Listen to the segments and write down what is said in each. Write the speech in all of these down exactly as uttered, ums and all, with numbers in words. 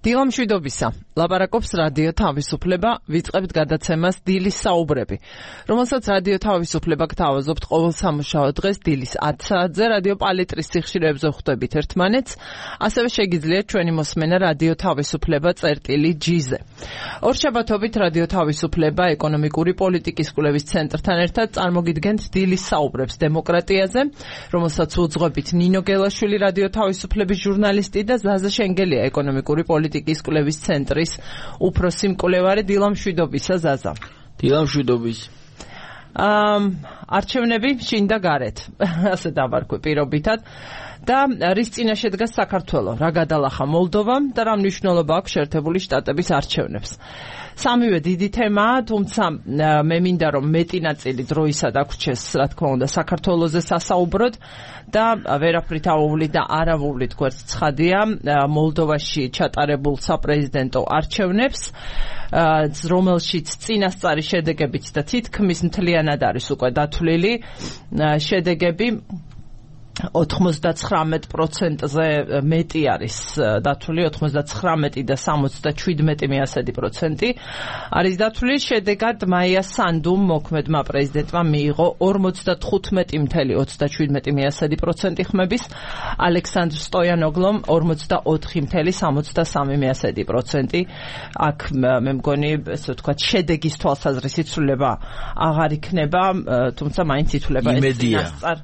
დილა მშვიდობისა. ლაპარაკობს რადიო თავისუფლება, ვიწყებთ გადაცემას დილის საუბრები, რომელსაც რადიო თავისუფლება გთავაზობთ ყოველ სამუშაო დღეს დილის ათ საათზე რადიო პალიტრის სიხშირეებზე ხვდებით ერთმანეთს, ასევე შეგიძლიათ ჩვენი მოსმენა რადიო თავისუფლება წერტილი ჯი-ზე. ორშაბათობით რადიო თავისუფლება ეკონომიკური პოლიტიკის კვლევის ცენტრთან ერთად წარმოგიდგენთ დილის საუბრებს დემოკრატიაზე, რომელსაც უძღვებით ნინო გელაშვილი რადიო თავისუფლების ჟურნალისტი და ზაზა შენგელია ეკონომიკური პოლიტიკის კვლევის ცენტრის უფროსი მკვლევარი. დილა მშვიდობისა ზაზა. დილა მშვიდობის. არჩევნები შინ და გარეთ, ასე დავარქვი პირობითად. და რის წინაშე დგას საქართველო, რა გადალახა მოლდოვამ და რა მნიშვნელობა აქვს შეერთებული შტატების არჩევნებს. სამივე დიდი თემაა, თუმცა მე მინდა რომ მეტი ნაწილი დროისა დაგვრჩეს, რა თქმა უნდა, საქართველოზე სასაუბროდ და ვერაფრით აუვლი და არავუვლით გვერდს ცხადია მოლდოვაში ჩატარებულ საპრეზიდენტო არჩევნებს, რომელშიც წინასწარი შედეგებით და თითქმის მთლიანად არის უკვე დათვლილი შედეგები. ოთხმოცდაცხრამეტ პროცენტზე მეტი არის დათვლილი, ოცდათხრამეტი და სამოცდაშვიდმეტი მეათედი პროცენტი არის დათვლილი. შედეგად მაია სანდუმ მოქმედმა პრეზიდენტმა მიიღო ორმოცდათხუთმეტი წამი ოცდაშვიდმეტი მეათედი პროცენტი ხმების, ალექსანდრ სტოიანოგლომ ორმოცდაოთხი წამი სამოცდასამი მეათედი პროცენტი. აქ მე მგონი, ესე ვთქვათ, შედეგის თვალსაზრისით ცვლილება აღარ იქნება, თუმცა მაინც ითვლება ეს წინასწარ.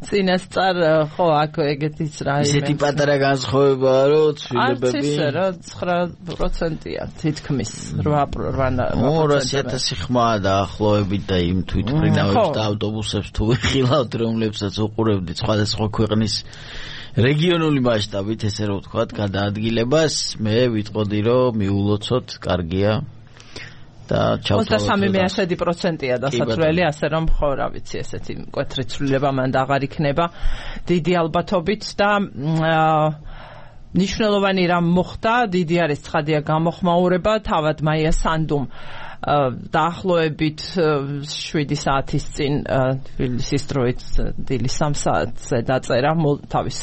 წინასწარ ხო აქ ეგეთის რა ისეთი პატარა განსხვავებაა რომ ცვლილებები არც ისე რა ცხრა პროცენტია თითქმის რვა ორასი ათასი ხმაა დაახლოებით და იმ თვითმფრინავებს და ავტობუსებს თუ ვიხილავთ რომლებსაც უყურებდით სხვადასხვა ქვეყნის რეგიონული მასშტაბით ესე რომ ვთქვათ გადაადგილებას მე ვიტყოდი რომ მიულოცოთ კარგია ოცდასამი მეათედი პროცენტია დასაცვლელი, ასე რომ ხო რა ვიცი ესეთი მკვეთრი ცვლილება მანდ აღარ იქნება დიდი ალბათობით და მნიშვნელოვანი რამ მოხდა, დიდი არის ცხადია გამოხმაურება, თავად მაია სანდუმ დაახლოებით შვიდი საათის წინ თბილისის დროით დილის სამ საათზე დაწერა თავის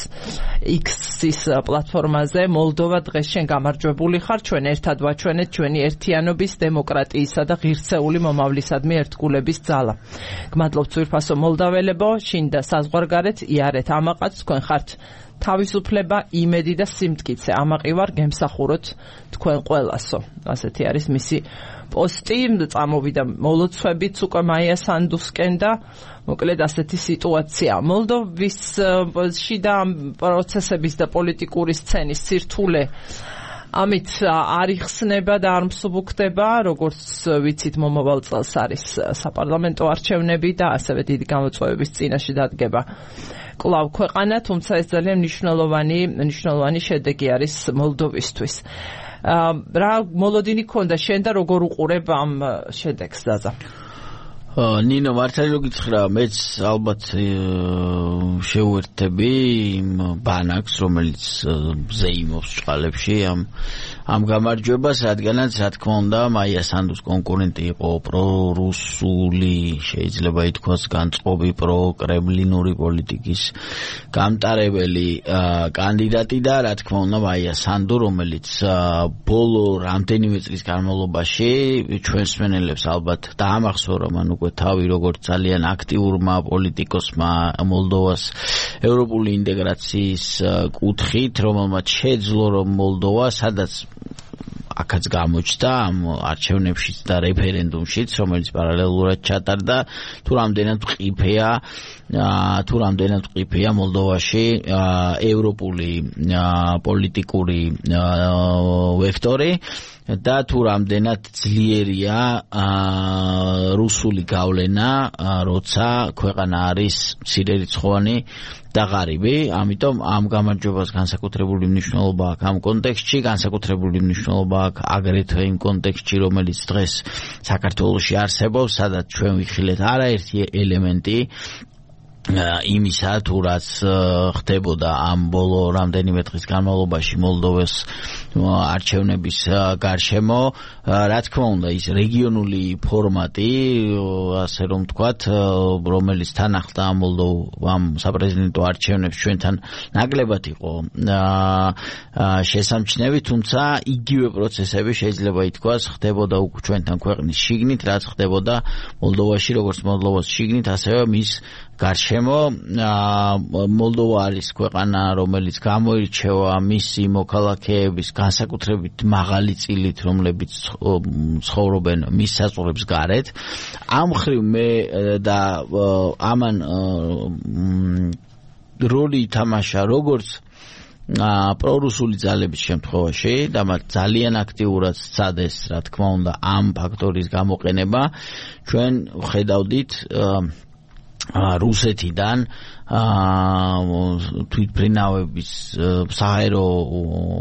X-ის პლატფორმაზე, მოლდოვა დღეს შენ გამარჯვებული ხარ, ჩვენ ერთად ვაჩვენეთ ჩვენი ერთიანობის, დემოკრატიისა და ღირსეული მომავლისადმი ერთგულების ძალა. გმადლობთ ძვირფასო მოლდაველებო, შინ და საზღვარგარეთ იარეთ ამაყაც, თქვენ ხართ თავისუფლება, იმედი და სიმტკიცე. ამაყი ვარ, გემსახუროთ თქვენ ყველასო. ასეთი არის მისი პოსტი, წამოვიდა მოლოცვებიც უკვე მაია სანდუსკენ და მოკლედ ასეთი სიტუაცია. მოლდოვის შიდა პროცესების და პოლიტიკური სცენის სირთულე ამით არ იხსნება და არ მსუბუქდება, როგორც ვიცით მომავალ წელს არის საპარლამენტო არჩევნები და ასევე დიდი გამოწვევების წინაშე დადგება კლავ ქვეყანა, თუმცა ეს ძალიან მნიშვნელოვანი მნიშვნელოვანი შედეგი არის მოლდოვისთვის. რა მოლოდინი ქონდა შენ და როგორ უყურებ ამ შედეგს ზაზა? ნინო მართალი რო გითხრა, მეც ალბათ შევერთები იმ ბანაკს, რომელიც ზეიმობს ჭყალებში ამ ამ გამარჯვებას, რადგანაც რა თქმა უნდა მაია სანდუს კონკურენტი იყო პრორუსული, შეიძლება ითქვას განწყობი პროკრემლინური პოლიტიკის გამტარებელი კანდიდატი და რა თქმა უნდა მაია სანდუ, რომელიც ბოლო რამდენიმე წლის განმავლობაში ჩვენს მსმენელებს ალბათ დაამახსოვრა მან უკვე თავი როგორც ძალიან აქტიურმა პოლიტიკოსმა მოლდოვას ევროპული ინტეგრაციის კუთხით, რომელმაც შეძლო რომ მოლდოვა სადაც აქაც გამოჩნდა ამ არჩევნებშიც და რეფერენდუმშიც, რომელიც პარალელურად ჩატარდა, თუ რამდენად მყიფეა თუ რამდენად მყიფეა მოლდოვაში ევროპული პოლიტიკური ვექტორი და თუ რამდენად ძლიერია რუსული გავლენა, როცა ქვეყანა არის მცირერიცხოვანი და ღარიბი. ამიტომ ამ გამარჯვებას განსაკუთრებული მნიშვნელობა აქვს ამ კონტექსტში, განსაკუთრებული მნიშვნელობა აქვს აგრეთვე იმ კონტექსტში, რომელიც დღეს საქართველოში არსებობს, სადაც ჩვენ ვიხილეთ არაერთი ელემენტი იმისა თუ რაც ხდებოდა ამ ბოლო რამდენიმე დღის განმავლობაში მოლდოვას არჩევნების გარშემო, რა თქმა უნდა, ის რეგიონული ფორმატი, ასე რომ ვთქვათ, რომელიც თან ახლდა მოლდოვამ საპრეზიდენტო არჩევნებს ჩვენთან ნაკლებად იყო შესამჩნევი, თუმცა იგივე პროცესები შეიძლება ითქვას ხდებოდა უკვე ჩვენთან ქვეყნის შიგნით, რაც ხდებოდა მოლდოვაში, როგორც მოლდოვას შიგნით, ასევე მის გარშემო. მოლდოვა არის ქვეყანა, რომელიც გამოირჩევა მისი მოქალაქეების განსაკუთრებით მაღალი წილით, რომლებიც ცხოვრობენ მის საზღვრებს გარეთ. ამ მხრივ მე და ამან როლი ითამაშა როგორც პრორუსული ძალების შემთხვევაში და მათ ძალიან აქტიურად სცადეს, რა თქმა უნდა, ამ ფაქტორის გამოყენება. ჩვენ ხედავდით რუსეთიდან თვითმფრინავების საერო,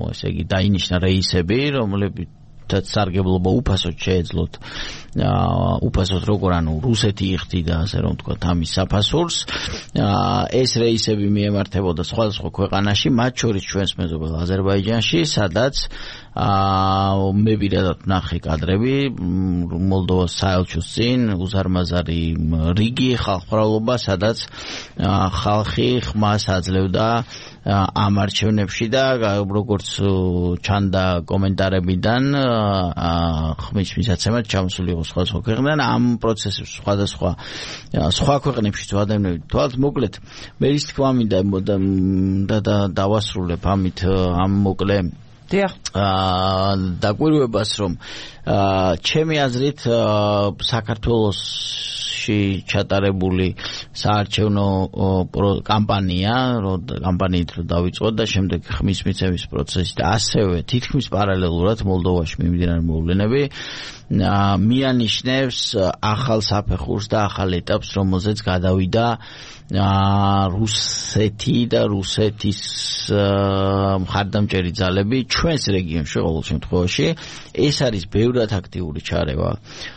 ესე იგი, დაინიშნა რეისები, რომლებიც სარგებლობა უფასოდ შეეძლოთ, უფასოდ როგორ ანუ რუსეთი იხდიდა, ასე რომ ვთქვათ, ამის საფასურს. ეს რეისები მიემართებოდა სხვადასხვა ქვეყანაში, მათ შორის ჩვენს მეზობელ აზერბაიჯანში, სადაც მე პირადად ვნახე კადრები მოლდოვას საელჩოს წინ, უზარმაზარი რიგი ხალხმრავლობა, სადაც ხალხი ხმას აძლევდა ამ არჩევნებში და როგორც ჩანდა კომენტარებიდან, ხმის მისაცემად ჩამოსული იყო სხვადასხვა ქვეყნიდან, ამ პროცესებს სხვადასხვა სხვა ქვეყნებშიც ადამიანები თვალთ. მოკლედ, მე ის თქვა მინდა და დავასრულებ ამით ამ მოკლე დაკვირვებას, რომ ჩემი აზრით საქართველოში ჩატარებული საარჩევნო კამპანია, კამპანიით რო დავიწყოთ და შემდეგ ხმის მიცემის პროცესი და ასევე თითქმის პარალელურად მოლდოვაში მიმდინარე მოვლენები მიანიშნებს ახალ საფეხურს და ახალ ეტაპს, რომელზეც გადავიდა რუსეთი და რუსეთის მხარდამჭერი ძალები ჩვენს რეგიონში ყოველ შემთხვევაში. ეს არის ბევრად აქტიური ჩარევა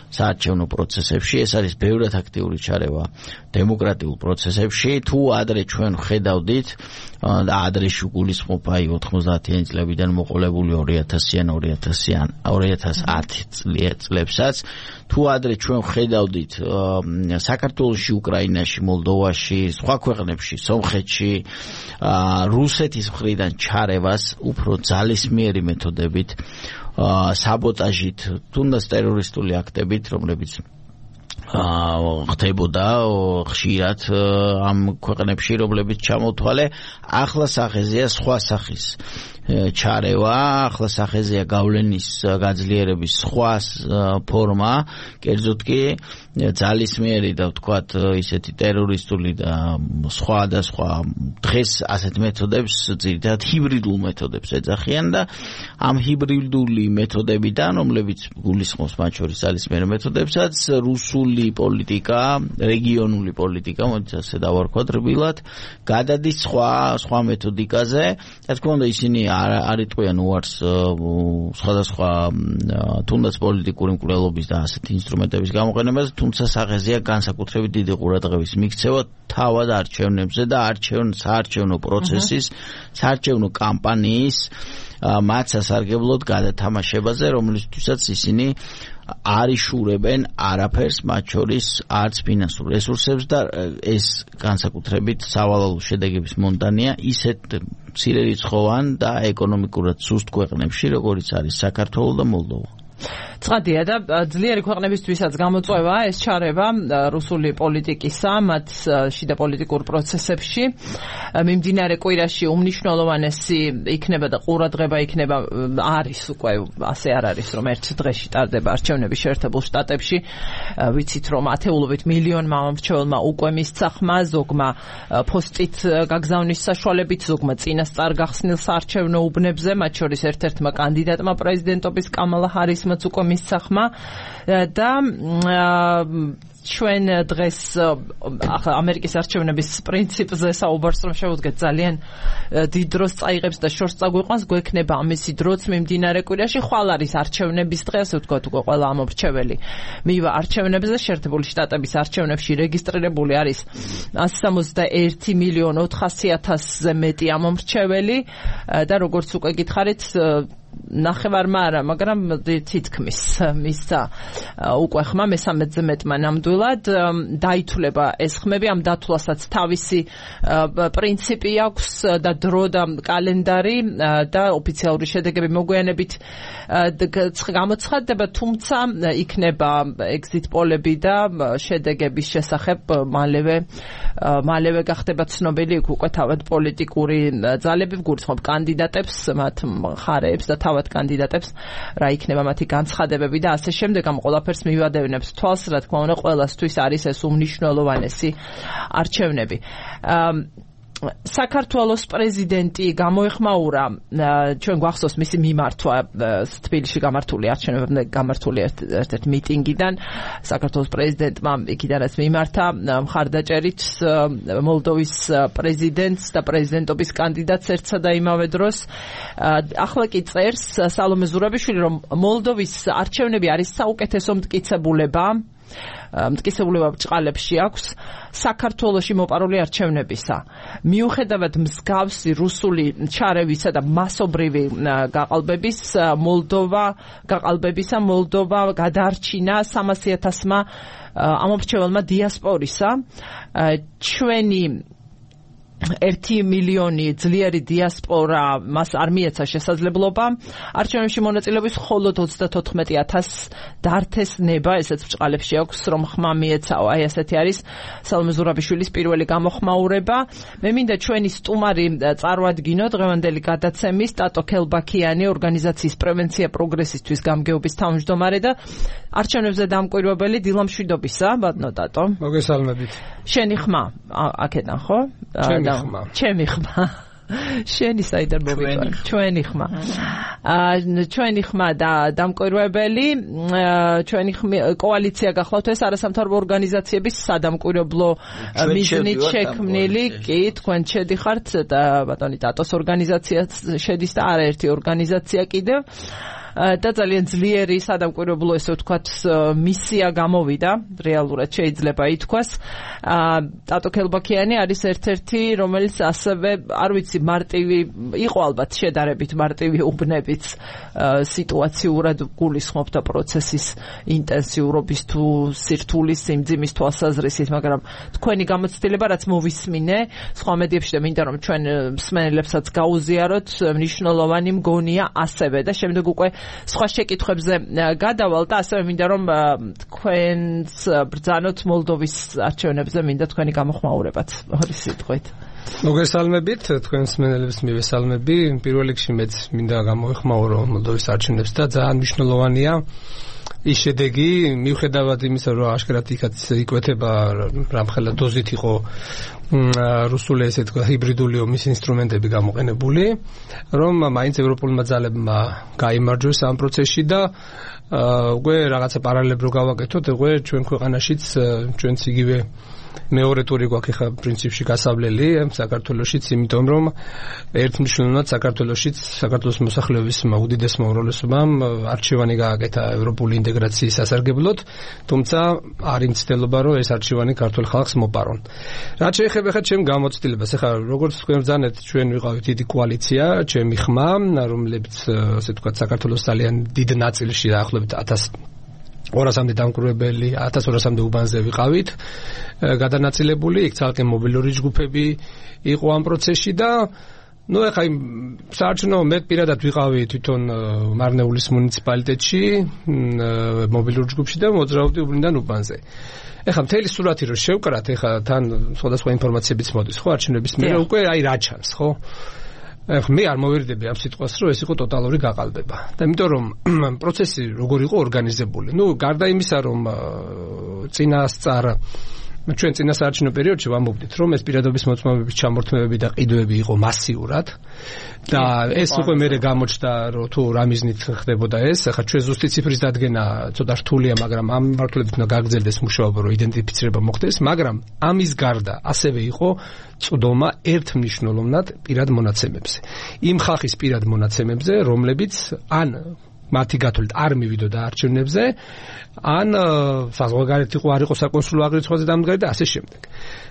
საარჩევნო პროცესებში, ეს არის ბევრად აქტიური ჩარევა დემოკრატიულ პროცესებში. თუ ადრე ჩვენ ხედავდით და ადრე შეგულისხმობ აი ოთხმოცდაათიანი წლებიდან მოყოლებული ორი ათასიან ორი ათას ათი წლებსაც, თუ ადრე ჩვენ ხედავდით საქართველოში, უკრაინაში, მოლდოვაში, სხვა ქვეყნებში, სომხეთში რუსეთის მხრიდან ჩარევას უფრო ძალისმიერი მეთოდებით, საბოტაჟით, თუნდაც ტერორისტული აქტებით, რომლებიც ხდებოდა ხშირად ამ ქვეყნებში, რომლებიც ჩამოთვალე, ახლა სახეზეა სხვა სახის ჩარევა, ახლა სახეზეა გავლენის გაძლიერების სხვა ფორმა, კერძოდ კი ძალისმიერი და ვთქვათ ისეთი ტერორისტული და სხვა და სხვა დღეს ასეთ მეთოდებს, ძირითადად ჰიბრიდულ მეთოდებს ეძახიან და ამ ჰიბრიდული მეთოდებიდან, რომლებიც გულისხმობს მათ შორის ძალისმიერ მეთოდებსაც, რუსული პოლიტიკა, რეგიონული პოლიტიკა, მოდი ასე დავარქვათ რბილად, გადადის სხვა სხვა მეთოდიკაზე. რა თქმა უნდა, ისინი არ იტყვიან უარს სხვადასხვა თუნდაც პოლიტიკური მკვლელობის და ასეთი ინსტრუმენტების გამოყენებას, თუმცა სახეზეა განსაკუთრებით დიდი ყურადღების მიქცევა თავად არჩევნებზე და არჩევნო საარჩევნო პროცესის, საარჩევნო კამპანიის მათ სასარგებლოდ გადათამაშებაზე, რომლისთვისაც ისინი არ იშურებენ არაფერს, მათ შორის არც ფინანსურ რესურსებს და ეს განსაკუთრებით სავალალო შედეგების მონტანია ისეთ მცირერიცხოვან და ეკონომიკურად სუსტ ქვეყნებში, როგორიც არის საქართველო და მოლდოვა. ცხადია და ძლიერი ქვეყნებისთვისაც გამოწვევა ეს ჩარევა რუსული პოლიტიკისა მათ შიდა პოლიტიკურ პროცესებში. მიმდინარე კვირაში უმნიშვნელოვანესი იქნება და ყურადღება იქნება არის უკვე ასე არ არის, რომ ერთ დღეში ტარდება არჩევნები შეერთებულ შტატებში. ვიცით, რომ ათეულობით მილიონმა მრჩეველმა უკვე მისცა ხმა, ზოგმა პოსტით გაგზავნის საშუალებით, ზოგმა წინასწარ გახსნილ საარჩევნო უბნებზე, მათ შორის ერთ-ერთმა კანდიდატმა პრეზიდენტობის კამალა ჰარისმაც უკვე მისცა განისახმა და ჩვენ დღეს ახლა ამერიკის არჩევნების პრინციპზე საუბარს რომ შევუდგეთ ძალიან დიდ დროს წაიღებს და შორს წაგვიყვანს გვექნება ამისი დროც მიმდინარე კვირაში ხვალ არის არჩევნების დღე ასე ვთქვათ უკვე ყველა ამომრჩეველი მივა არჩევნებზე შეერთებული შტატების არჩევნებში რეგისტრირებული არის one sixty-one მილიონ ოთხასი ათასზე მეტი ამომრჩეველი და როგორც უკვე გითხარით ნახევარმა არა, მაგრამ თითქმის მისცა უკვე ხმა მესამედზე მეტმა ნამდვილად დაითვლება ეს ხმები ამ დათვლასაც თავისი პრინციპი აქვს და დრო და კალენდარი და ოფიციალური შედეგები მოგვიანებით გამოცხადდება, თუმცა იქნება exit პოლები და შედეგების შესახებ მალევე მალევე გახდება ცნობილი უკვე თავად პოლიტიკური ძალები ვგურისხმობ კანდიდატებს, მათ მხარეებს და თავად კანდიდატებს რა იქნება მათი განცხადებები და ასე შემდეგ ამ ყველაფერს მივადევნებს თვალს, რა თქმა უნდა, ყველასთვის არის ეს უმნიშვნელოვანესი არჩევნები. საქართველოს პრეზიდენტი გამოეხმაურა ჩვენ გვახსოვს მისი მიმართვა თბილისში გამართული არჩევნებამდე გამართული ერთ-ერთ მიტინგიდან საქართველოს პრეზიდენტმა იქიდანაც მიმართა მხარდაჭერით მოლდოვის პრეზიდენტს და პრეზიდენტობის კანდიდატს ერთსა და იმავე დროს ახლა კი წერს სალომე ზურაბიშვილი რომ მოლდოვის არჩევნები არის საუკეთესო მტკიცებულება მტკიცებულება ბრჭყალებში აქვს საქართველოში მოპარული არჩევნებისა. მიუხედავად მსგავსი რუსული ჩარევისა და მასობრივი გაყალბების მოლდოვა გაყალბებისა მოლდოვა გადარჩინა სამასი ათასმა ამომრჩეველმა დიასპორისა. ჩვენი ერთი მილიონი ძლიერი დიასპორა მას არ მიეცა შესაძლებლობა არჩევნებში მონაწილეობის, მხოლოდ ოცდათოთხმეტი ათასს დართეს ნება, ესეც ბრჭყალებში აქვს რომ ხმა მიეცაო. აი ასეთი არის სალომე ზურაბიშვილის პირველი გამოხმაურება. მე მინდა ჩვენი სტუმარი წარვადგინო დღევანდელი გადაცემის ტატო ქელბაქიანი, ორგანიზაციის პრევენცია პროგრესისთვის გამგეობის თავმჯდომარე და არჩევნებზე დამკვირვებელი დილამშვიდობისა. ბატონო ტატო. მოგესალმებით. შენი ხმა აქედან ხო? ხმა. ჩემი ხმა. შენი საიდან მოვიყვანე? ჩვენი ხმა. აა ჩვენი ხმა და დამკვირვებელი, ჩვენი კოალიცია გახლავთ ეს არასამთავრობო ორგანიზაციების სადამკვირვებლო მიზნით შექმნილი, კი, თქვენ შედიხართ და ბატონი ტატოს ორგანიზაციაც შედის და არაერთი ორგანიზაცია კიდევ. და ძალიან ძლიერი სადამკვირვებლო ესე ვთქვათ მისია გამოვიდა, რეალურად შეიძლება ითქვას. ტატო ქელბაქიანი არის ერთ-ერთი, რომელიც ასევე, არ ვიცი, მარტივი იყო ალბათ შედარებით მარტივი უბნებით სიტუაციურად გულისხმობდა პროცესის ინტენსიურობის თუ სირთულის სიმძიმის თვალსაზრისით, მაგრამ თქვენი გამოცდილება რაც მოვისმინე სხვა მედიებში და მინდა რომ ჩვენ მსმენელებსაც გაუზიაროთ, მნიშვნელოვანი მგონია ასევე და შემდეგ უკვე სხვა შეკითხვებზე გადავალ და ასევე მინდა რომ თქვენს ბრძანოთ მოლდოვის არჩევნებზე, მინდა თქვენი გამოხმაურებაც ორი სიტყვით. მოგესალმებით, თქვენს მსმენელებს მივესალმები. პირველ რიგში მეც მინდა გამოეხმაურო მოლდოვის არჩევნებს და ძალიან მნიშვნელოვანია ის შედეგი, მიუხედავად იმისა, რომ აშკარად იქაც იკვეთება რამხელა დოზით იყო რუსული ესე თქვა ჰიბრიდული ომის ინსტრუმენტები გამოყენებული, რომ მაინც ევროპულმა ძალებმა გაიმარჯვეს ამ პროცესში და უკვე რაღაცა პარალელები რო გავაკეთოთ, უკვე ჩვენ ქვეყანაშიც ჩვენც იგივე მეორე ტური გვაქვს ხა პრინციპში გასავლელი საქართველოშიც, იმიტომ რომ ერთმნიშვნელოვნად საქართველოშიც საქართველოს მოსახლეობის უდიდესმა უმრავლესობამ არჩევანი გააკეთა ევროპული ინტეგრაციის სასარგებლოდ, თუმცა არ იმცდელობა რომ ეს არჩევანი ქართულ ხალხს მოპარონ. რაც შეეხება ხა ჩემ გამოცდილებას, ხა როგორც თქვენ ბრძანეთ, ჩვენ ვიყავით დიდი კოალიცია, ჩემი ხმა, რომლებიც ასე ვთქვათ საქართველოს ძალიან დიდ ნაწილში დაახლოებით ათას ორასამდე დამკვირვებელი, ათას ორასამდე უბანზე ვიყავით გადანაწილებული, იქ ცალკე მობილური ჯგუფები იყო ამ პროცესში და ნუ ეხა იმ საარჩევნო მე პირადად ვიყავი თვითონ მარნეულის მუნიციპალიტეტში მობილურ ჯგუფში და მოძრაობდი უბნიდან უბანზე. ეხა მთელი სურათი რო შევკრათ, ეხა თან სხვადასხვა ინფორმაციებიც მოდის, ხო, არჩევნების მერე უკვე აი რა ჩანს, ხო? ეხლა მე არ მოვერიდები ამ სიტყვას, რომ ეს იყო ტოტალური გაყალბება. და იმიტომ რომ პროცესი როგორ იყო ორგანიზებული. ნუ გარდა იმისა, რომ წინასწარ ჩვენ წინასაარჩევნო პერიოდში ვამბობდით, რომ ეს პირადობის მოწმობების ჩამორთმევები და ყიდვები იყო მასიურად და ეს უკვე მერე გამოჩნდა, რომ თუ რა მიზნით ხდებოდა ეს. ახლა ჩვენ ზუსტი ციფრის დადგენა ცოტა რთულია, მაგრამ ამ მიმართულებით უნდა გაგრძელდეს მუშაობა, რომ იდენტიფიცირება მოხდეს, მაგრამ ამის გარდა ასევე იყო წვდომა ერთმნიშვნელოვნად პირად მონაცემებზე. იმ ხალხის პირად მონაცემებზე, რომლებიც ან მათი გათვლით არ მივიდოდა არჩევნებზე, ან საზღვარგარეთ იყო, არ იყო საკონსულო აღრიცხვაზე დამდგარი და ასე შემდეგ.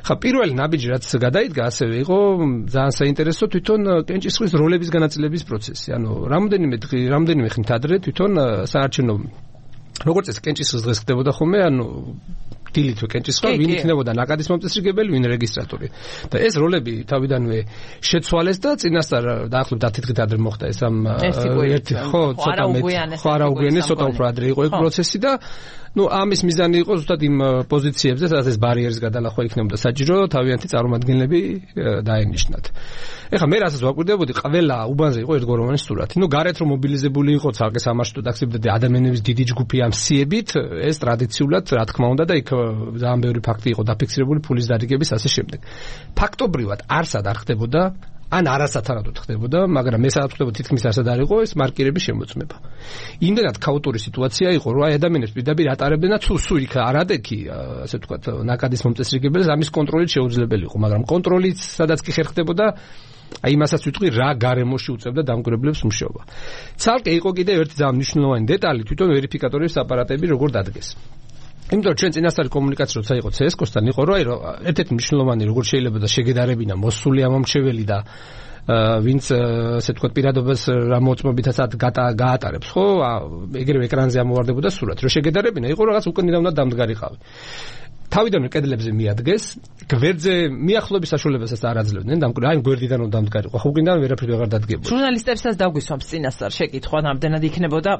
ხა პირველი ნაბიჯი რაც გადაიდგა, ასევე იყო ძალიან საინტერესო თვითონ კენჭისყრის როლების განაწილების პროცესი. ანუ რამდენიმე რამდენიმე ხნით ადრე თვითონ საარჩევნო როგორც ეს კენჭისყრის დღეს ხდებოდა ხოლმე, ანუ დილით კენჭისყრა, ვინ იქნებოდა ნაკადის მომწესრიგებელი, ვინ რეგისტრატორი. და ეს როლები თავიდანვე შეცვალეს და წინასწარ დაახლოებით ათი დღით ადრე მოხდა ეს ამ ერთი ხო ცოტა მეტი ხო არა უგვიანეს ცოტა უფრო ადრე იყო ეს პროცესი და ну ამის მიზანი იყო ზუსტად იმ პოზიციებზე, სადაც ეს ბარიერის გადალახვა იქნებოდა საჭირო, თავიანთი წარმომადგენლები დაენიშნათ. ეხლა მე რასაც ვაკვირდებოდი, ყველა უბანზე იყო ერთგვაროვანი სურათი. ну გარეთ რომ მობილიზებული იყო ცალკე სამარშრუტო ტაქსიები და ადამიანების დიდი ჯგუფი ამ სიებით, ეს ტრადიციულად რა თქმა უნდა და იქ ძალიან ბევრი ფაქტი იყო დაფიქსირებული, ფულის დარიგების ასე შემდეგ. ფაქტობრივად არსად არ ხდებოდა ან არასათანადოდ ხდებოდა, მაგრამ მე სადაც ხდებოდა თითქმის არსად არ იყო ეს მარკირების შემოწმება. იმდენად ქაოტური სიტუაცია იყო, რომ აი ადამიანებს პირდაპირ ატარებდნენ და თუ სულ იქ არადექი, ასე ვთქვათ, ნაკადის მომწესრიგებელს ამის კონტროლი შეუძლებელი იყო, მაგრამ კონტროლიც სადაც კი ხერ ხდებოდა, აი იმასაც ვიტყვი, რა გარემოში უწევდა დამკვირვებლებს მუშაობა. ცალკე იყო კიდევ ერთი ძალიან მნიშვნელოვანი დეტალი, თვითონ ვერიფიკატორების აპარატები როგორ დადგეს. იმიტომ რომ ჩვენ წინასწარი კომუნიკაცია როცა იყო ცესკოსთან იყო რომ აი ერთ-ერთი მნიშვნელოვანი როგორ შეიძლება და შეგედარებინა მოსული ამომრჩეველი და ვინც ასე თქვა პირადობას რა მოწმობითაც გაატარებს ხო ეგრევე ეკრანზე ამოვარდებოდა სურათი რომ შეგედარებინა იყო რაღაც უკვე ნამდვილად დამდგარიყავი თავიდანვე კედლებზე მიადგეს გვერდზე მიახლოების საშუალებასაც არ აძლევდნენ დამკვირვებელი აი გვერდიდან რომ დამდგარიყო ხო გინდა ვერაფერი აღარ დადგებოდა ჟურნალისტებსაც დაგვისვამს წინასწარ შეკითხვა ნამდვილად იქნებოდა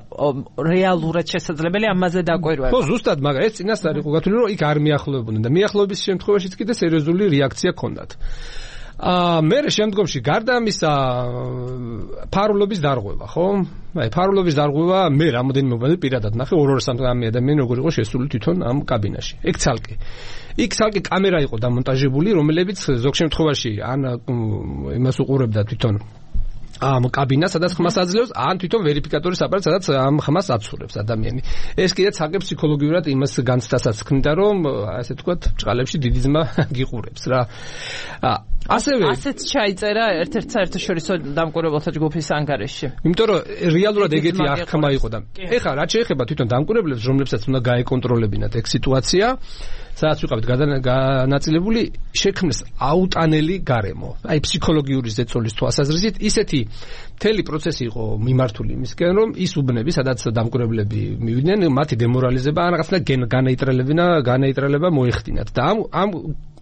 რეალურად შესაძლებელი ამაზე დაკვირვება ხო ზუსტად მაგრამ ეს წინასწარ იყო გათვლილი რომ იქ არ მიახლოებოდნენ და მიახლოების შემთხვევაშიც კიდე სერიოზული რეაქცია ჰქონდათ აა მე შემდგომში გარდა ამისა ფარულობის დარღვევა ხო აი ფარულობის დარღვევა მე რამოდენიმე მომენტი პირადად ნახე ორ-ორ სამი ადამიანი როგორ იყო შესული თვითონ ამ კაბინაში ეგ ცალკე იქ ცალკე კამერა იყო დამონტაჟებული რომელებიც ზოგ შემთხვევაში ან იმას უყურებდა თვითონ ამ კაბინას სადაც ხმას აძლევს ან თვითონ ვერიფიკატორის აპარატს სადაც ამ ხმას აცურებს ადამიანი ეს კიდე ცალკე ფსიქოლოგიურად იმას განცდასაც ქნიდა რომ ასე ვთქვათ ჭყალებში დიდი ძმა გიყურებს რა ასევე ასეც ჩაიწერა ერთ-ერთ საერთაშორისო დამკვირვებელთა ჯგუფის ანგარიშში იმიტომ რომ რეალურად ეგეთი აღქმა იყო და ეხლა რაც შეეხება თვითონ დამკვირვებლებს რომლებსაც უნდა გაეკონტროლებინათ ეგ სიტუაცია სადაც ვიყავით განაწილებული შექმნეს აუტანელი გარემო აი ფსიქოლოგიური ზეწოლის თვალსაზრისით ისეთი მთელი პროცესი იყო მიმართული იმისკენ რომ ის უბნები სადაც დამკვირვებლები მივიდნენ მათი დემორალიზება ან რაღაცნა განაიტრალებინა განაიტრალება მოეხდინათ და ამ ამ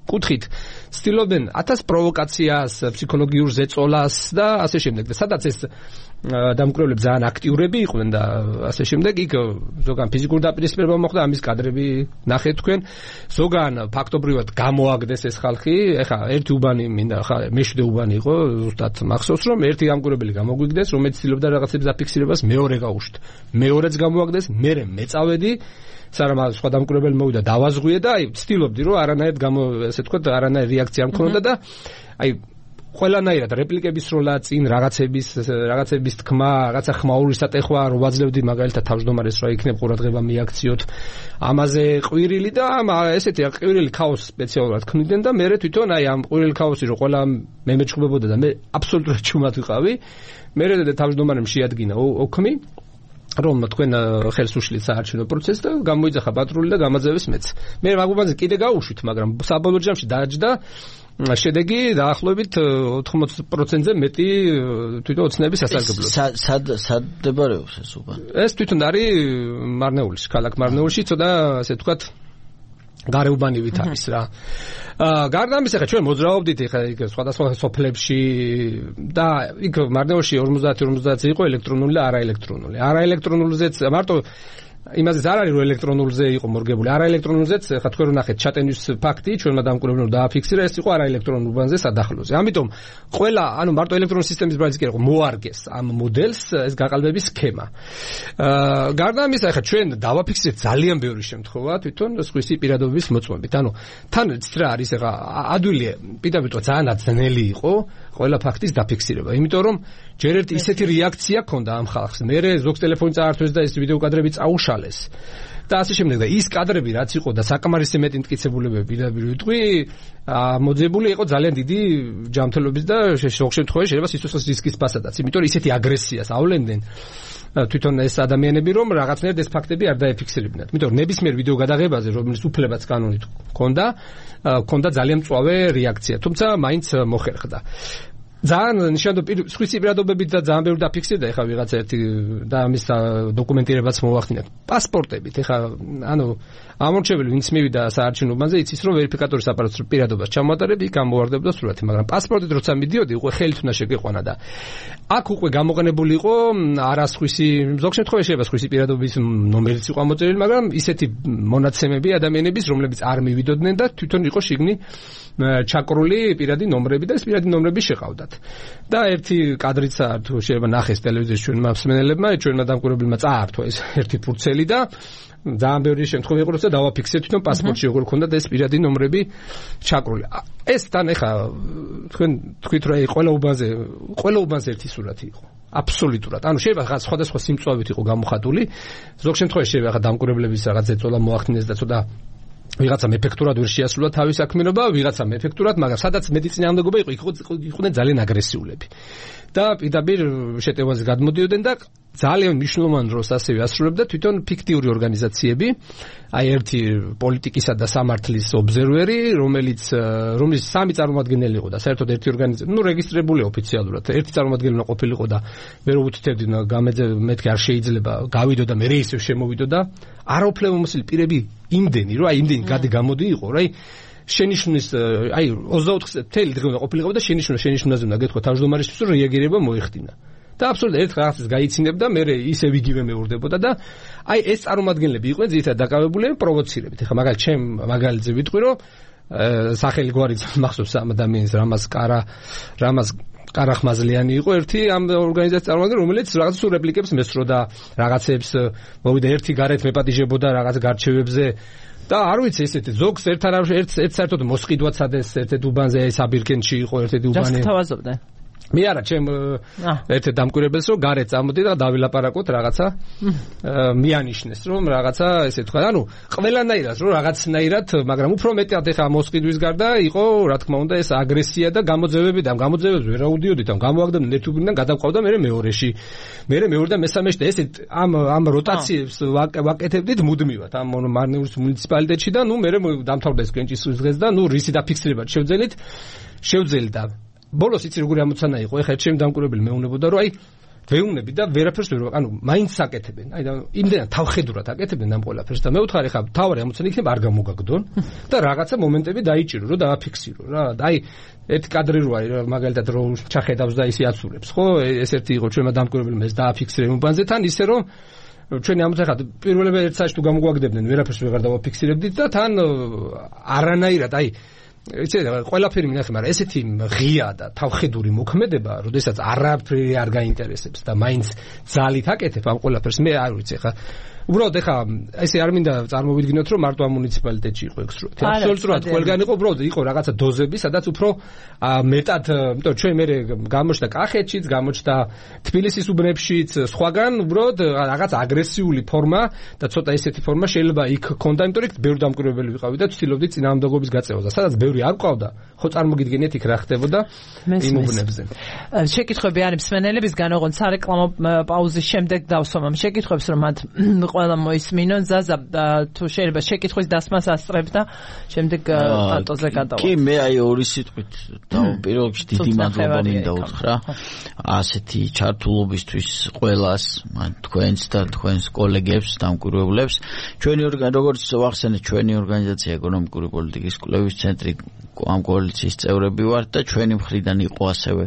კუთხით ცდილობენ ათას პროვოკაციას, ფსიქოლოგიურ ზეწოლას და ასე შემდეგ. და სადაც ეს დამკვირვებლები ძალიან აქტიურები იყვნენ და ასე შემდეგ, იქ ზოგან ფიზიკური დაპირისპირება მოხდა, ამის კადრები ნახეთ თქვენ. ზოგან ფაქტობრივად გამოაგდეს ეს ხალხი, ეხა ერთი უბანი მინდა, ხა მეშვიდე უბანი იყო, ზუსტად მახსოვს რომ ერთი დამკვირვებელი გამოგვიგდეს, რომელიც ცდილობდა რაღაცების დაფიქსირებას, მეორე გაუშვით. მეორეც გამოაგდეს, მერე მეწავედი სარამ სხვა დამკვირვებელი მოვიდა დავაზღვიე და აი ვცდილობდი რომ არანაირად გამო ესე თქვა არანაირ რეაქცია მქონოდა და აი ყველანაირად რეპლიკების როლა წინ რაღაცების რაღაცების თქმა რაღაცა ხმაურის ატეხვა რომ ვაძლევდი მაგალითად თავმჯდომარეს რა იქნებ ყურადღება მიაქციოთ ამაზე ყვირილი და ესეთი ყვირილი ქაოსი სპეციალურად ქმნიდნენ და მე თვითონ აი ამ ყვირილი ქაოსი რომ ყველა მე მეჩხუბებოდა და მე აბსოლუტურად ჩუმად ვიყავი მე თავმჯდომარემ შეადგინა ოქმი რომ თქვენ ხელს უშლით საარჩევნო პროცესს და გამოიძახა პატრული და გამაძევეს მეც. მე მაგუბანზე კიდე გავუშვით, მაგრამ საბოლოო ჯამში დააჯდა შედეგი დაახლოებით ოთხმოცი პროცენტზე მეტი თვითონ ოცნების სასარგებლოდ. სად სად მდებარეობს ეს უბანი? ეს თვითონ არის მარნეულში, ქალაქ მარნეულში, ცოტა ასე ვთქვათ გარეუბანივით არის რა. აა გარდა ამისა, ხა ჩვენ მოძრაობდით ხა იქ სხვადასხვა სოფლებში და იქ მარნეულში ორმოცდაათი ორმოცდაათი იყო ელექტრონული და არაელექტრონული. არაელექტრონულზეც მარტო იმაზე არ არის რომ ელექტრონულზე იყო მორგებული, არა ელექტრონულზეც, ხა თქვენ რომ ნახეთ ჩატენის ფაქტი, ჩვენმა დამკვირვებლებმა დააფიქსირა, ეს იყო არა ელექტრონულ უბანზე სადახლოზე. ამიტომ ყველა, ანუ მარტო ელექტრონული სისტემის ბრალიც კი არა, მოარგეს ამ მოდელს ეს გაყალბების სქემა. აა გარდა ამისა, ხა ჩვენ დავაფიქსირეთ ძალიან ბევრი შემთხვევა თვითონ სხვისი პირადობის მოწმობით. ანუ თან რა არის ხა ადვილი პირდაპირ ძალიან ძნელი იყო ყველა ფაქტის დაფიქსირება, იმიტომ რომ ჯერ ერთი ისეთი რეაქცია ქონდა ამ ხალხს. მერე ზოგს ტელეფონი წაართვეს და ეს ვიდეო კადრები წაუშალეს. და ასე შემდეგ და ის კადრები რაც იყო და საკმარისი მეტი მტკიცებულებები პირდაპირ ვიტყვი, მოძებული იყო ძალიან დიდი ჯანმრთელობის და ზოგ შემთხვევაში შეიძლება სიცოცხლის რისკის პასადაც, იმიტომ რომ ისეთი აგრესიას ავლენდნენ თვითონ ეს ადამიანები, რომ რაღაცნაირად ეს ფაქტები არ დაეფიქსირებინათ. იმიტომ რომ ნებისმიერ ვიდეო გადაღებაზე, რომელიც უფლებაც კანონით ჰქონდა, ჰქონდა ძალიან მწვავე რეაქცია, თუმცა მაინც მოხერხდა. ძალიან ნიშანდობლივი სხვისი პირადობებით და ძალიან ბევრი დაფიქსირდა ეხლა ვიღაცა ერთი და ამის დოკუმენტირებაც მოახდინეთ. პასპორტებით ეხლა ანუ ამორჩეველი ვინც მივიდა საარჩევნო უბანზე იცის რომ ვერიფიკატორის აპარატს პირადობას ჩამოატარებ იქ ამოვარდებდა სურათი, მაგრამ პასპორტით როცა მიდიოდი უკვე ხელით უნდა შეგეყვანა და აქ უკვე გამოყენებული იყო არა სხვისი ზოგ შემთხვევაში შეიძლება სხვისი პირადობის ნომერიც იყო ამოწერილი, მაგრამ ისეთი მონაცემები ადამიანების რომლებიც არ მივიდოდნენ და თვითონ იყო შიგნი ჩაკრული პირადი ნომრები და ეს პირადი ნომრები შეყავდათ. და ერთი კადრიც თუ შეიძლება ნახეს ტელევიზიაში ჩვენმა მსმენელებმა, ჩვენმა დამკვირვებლებმა წაართვა ეს ერთი ფურცელი და ძალიან ბევრი შემთხვევა იყო, როცა დავაფიქსირეთ თვითონ პასპორტში როგორ ქონდა და ეს პირადი ნომრები ჩაკრული. ეს თან ეხა თქვენ თქვით რომ ყველა უბანზე ყველა უბანზე ერთი სურათი იყო. აბსოლუტურად. ანუ შეიძლება რაღაც სხვადასხვა სიმწვავით იყო გამოხატული. ზოგ შემთხვევაში შეიძლება ხა დამკვირვებლების რაღაც ეწოლა მოახდინეს და ცოტა ვიღაცამ ეფექტურად ვერ შეასრულა თავის საქმიანობა, ვიღაცამ ეფექტურად, მაგრამ სადაც მეტიწინააღმდეგობა იყო, იყვნენ ძალიან აგრესიულები. და პირდაპირ შეტევაზე გადმოდიოდნენ და ძალიან მნიშვნელოვან როლს ასევე ასრულებდა თვითონ ფიქტიური ორგანიზაციები, აი ერთი პოლიტიკისა და სამართლის ობზერვერი, რომელიც რომელიც სამი წარმომადგენელი იყო და საერთოდ ერთი ორგანიზაცია, ну რეგისტრირებული ოფიციალურად, ერთი წარმომადგენელი ყოფილიყო და მე რო უთითებდი გამეძე მეთქი არ შეიძლება გავიდო და მე ისევ შემოვიდო და არაუფლებამოსილი პირები იმდენი, რომ აი იმდენი გადი გამოდი იყო, რა აი შენიშვნის აი ოცდაოთხ თელი დღე უნდა ყოფილიყო და შენიშვნა შენიშვნაზე უნდა გეთქვა თავმჯდომარისთვის რომ რეაგირება მოიხდინა. და აბსოლუტურად ერთ რაღაცას გაიცინებდა, მე ისევ იგივე მეორდებოდა და აი ეს წარმომადგენლები იყვნენ ძირითადად დაკავებული პროვოცირებით. ეხლა მაგალითად ჩემ მაგალითზე ვიტყვი რომ სახელი გვარიც მახსოვს ამ ადამიანის რამას კარა რამას კარახმაზლიანი იყო ერთი ამ ორგანიზაციის წარმომადგენელი, რომელიც რაღაც სულ რეპლიკებს მესროდა, რაღაცებს მოვიდა ერთი გარეთ მეპატიჟებოდა რაღაც გარჩევებზე და არ ვიცი ესეთი ზოგს ერთ არა ერთ ერთ საერთოდ მოსყიდვაც ადეს ერთ უბანზე ეს აბირკენში იყო ერთ-ერთი უბანი. ჯერ თავაზობდა. მე არა ჩემ ერთ დამკვირვებელს რომ გარეთ წამოდი და დავილაპარაკოთ რაღაცა მიანიშნეს რომ რაღაცა ესე თქვა ანუ ყველანაირად რომ რაღაცნაირად მაგრამ უფრო მეტად ეხა მოსყიდვის გარდა იყო რა თქმა უნდა ეს აგრესია და გამოძევები და გამოძევებს ვერ აუდიოდით ამ გამოაგდებდნენ ერთ უბნიდან გადავყავდა მე მეორეში მე მეორე და მესამეში და ესე ამ ამ როტაციებს ვაკეთებდით მუდმივად ამ მარნეულის მუნიციპალიტეტში და ნუ მე დამთავრდა ეს კენჭისყრის დღეს და ნუ რისი დაფიქსირება შევძელით შევძელი და ბოლოს იცი როგორი ამოცანა იყო, ეხლა ჩემ დამკვირვებელი მეუბნებოდა რომ აი ვეუბნები და ვერაფერს ვერ ანუ მაინც აკეთებენ. აი და იმდენად თავხედურად აკეთებენ ამ ყველაფერს და მე ვთხარ ეხლა თავარი ამოცანა იქნება არ გამოგაგდონ და რაღაცა მომენტები დაიჭირო რომ დააფიქსირო რა. აი ერთი კადრი რო არის მაგალითად რო ჩახედავს და ისე აცურებს, ხო? ეს ერთი იყო ჩვენმა დამკვირვებელმა ეს დააფიქსირე უბანზე თან ისე რომ ჩვენი ამოცანა ხა პირველები ერთ საერთოდ გამოგვაგდებდნენ ვერაფერს ვეღარ დავაფიქსირებდით და თან არანაირად აი იცი ყველაფერი მინახე, მაგრამ ესეთი ღია და თავხედური მოქმედება, როდესაც არაფერი არ გაინტერესებს და მაინც ძალით აკეთებ ამ ყველაფერს, მე არ ვიცი ხა უბრალოდ ეხა ესე არ მინდა წარმოვიდგინოთ რომ მარტო ამ მუნიციპალიტეტში იყო ეგ სრულად. აბსოლუტურად ყველგან იყო, უბრალოდ იყო რაღაცა დოზები, სადაც უფრო მეტად, იმიტომ ჩვენ მე გამოჩნდა კახეთშიც, გამოჩნდა თბილისის უბნებშიც, სხვაგან უბრალოდ რაღაც აგრესიული ფორმა და ცოტა ესეთი ფორმა შეიძლება იქ ქონდა, იმიტომ რომ იქ ბევრი დამკვირვებელი ვიყავი და ვცდილობდი წინააღმდეგობის გაწევას. სადაც ბევრი არ ყავდა, ხო წარმოგიდგენიათ იქ რა ხდებოდა იმ უბნებზე. შეკითხვები არის მსმენელებისგან, ოღონდ სარეკლამო პაუზის შემდეგ დავსვამ ამ შეკითხვებს, რომ მათ ყველა მოისმინონ ზაზა თუ შეიძლება შეკითხვის დასმას ასწრებ და შემდეგ პატოზე გადავალ. კი მე აი ორი სიტყვით დავპირობ დიდი მადლობა მინდა უთხრა ასეთი ჩართულობისთვის ყველას თქვენს და თქვენს კოლეგებს დამკვირვებლებს. ჩვენი ორგანიზაცია როგორც ვახსენეთ ჩვენი ორგანიზაცია ეკონომიკური პოლიტიკის კვლევის ცენტრი ამ კოალიციის წევრები ვართ და ჩვენი მხრიდან იყო ასევე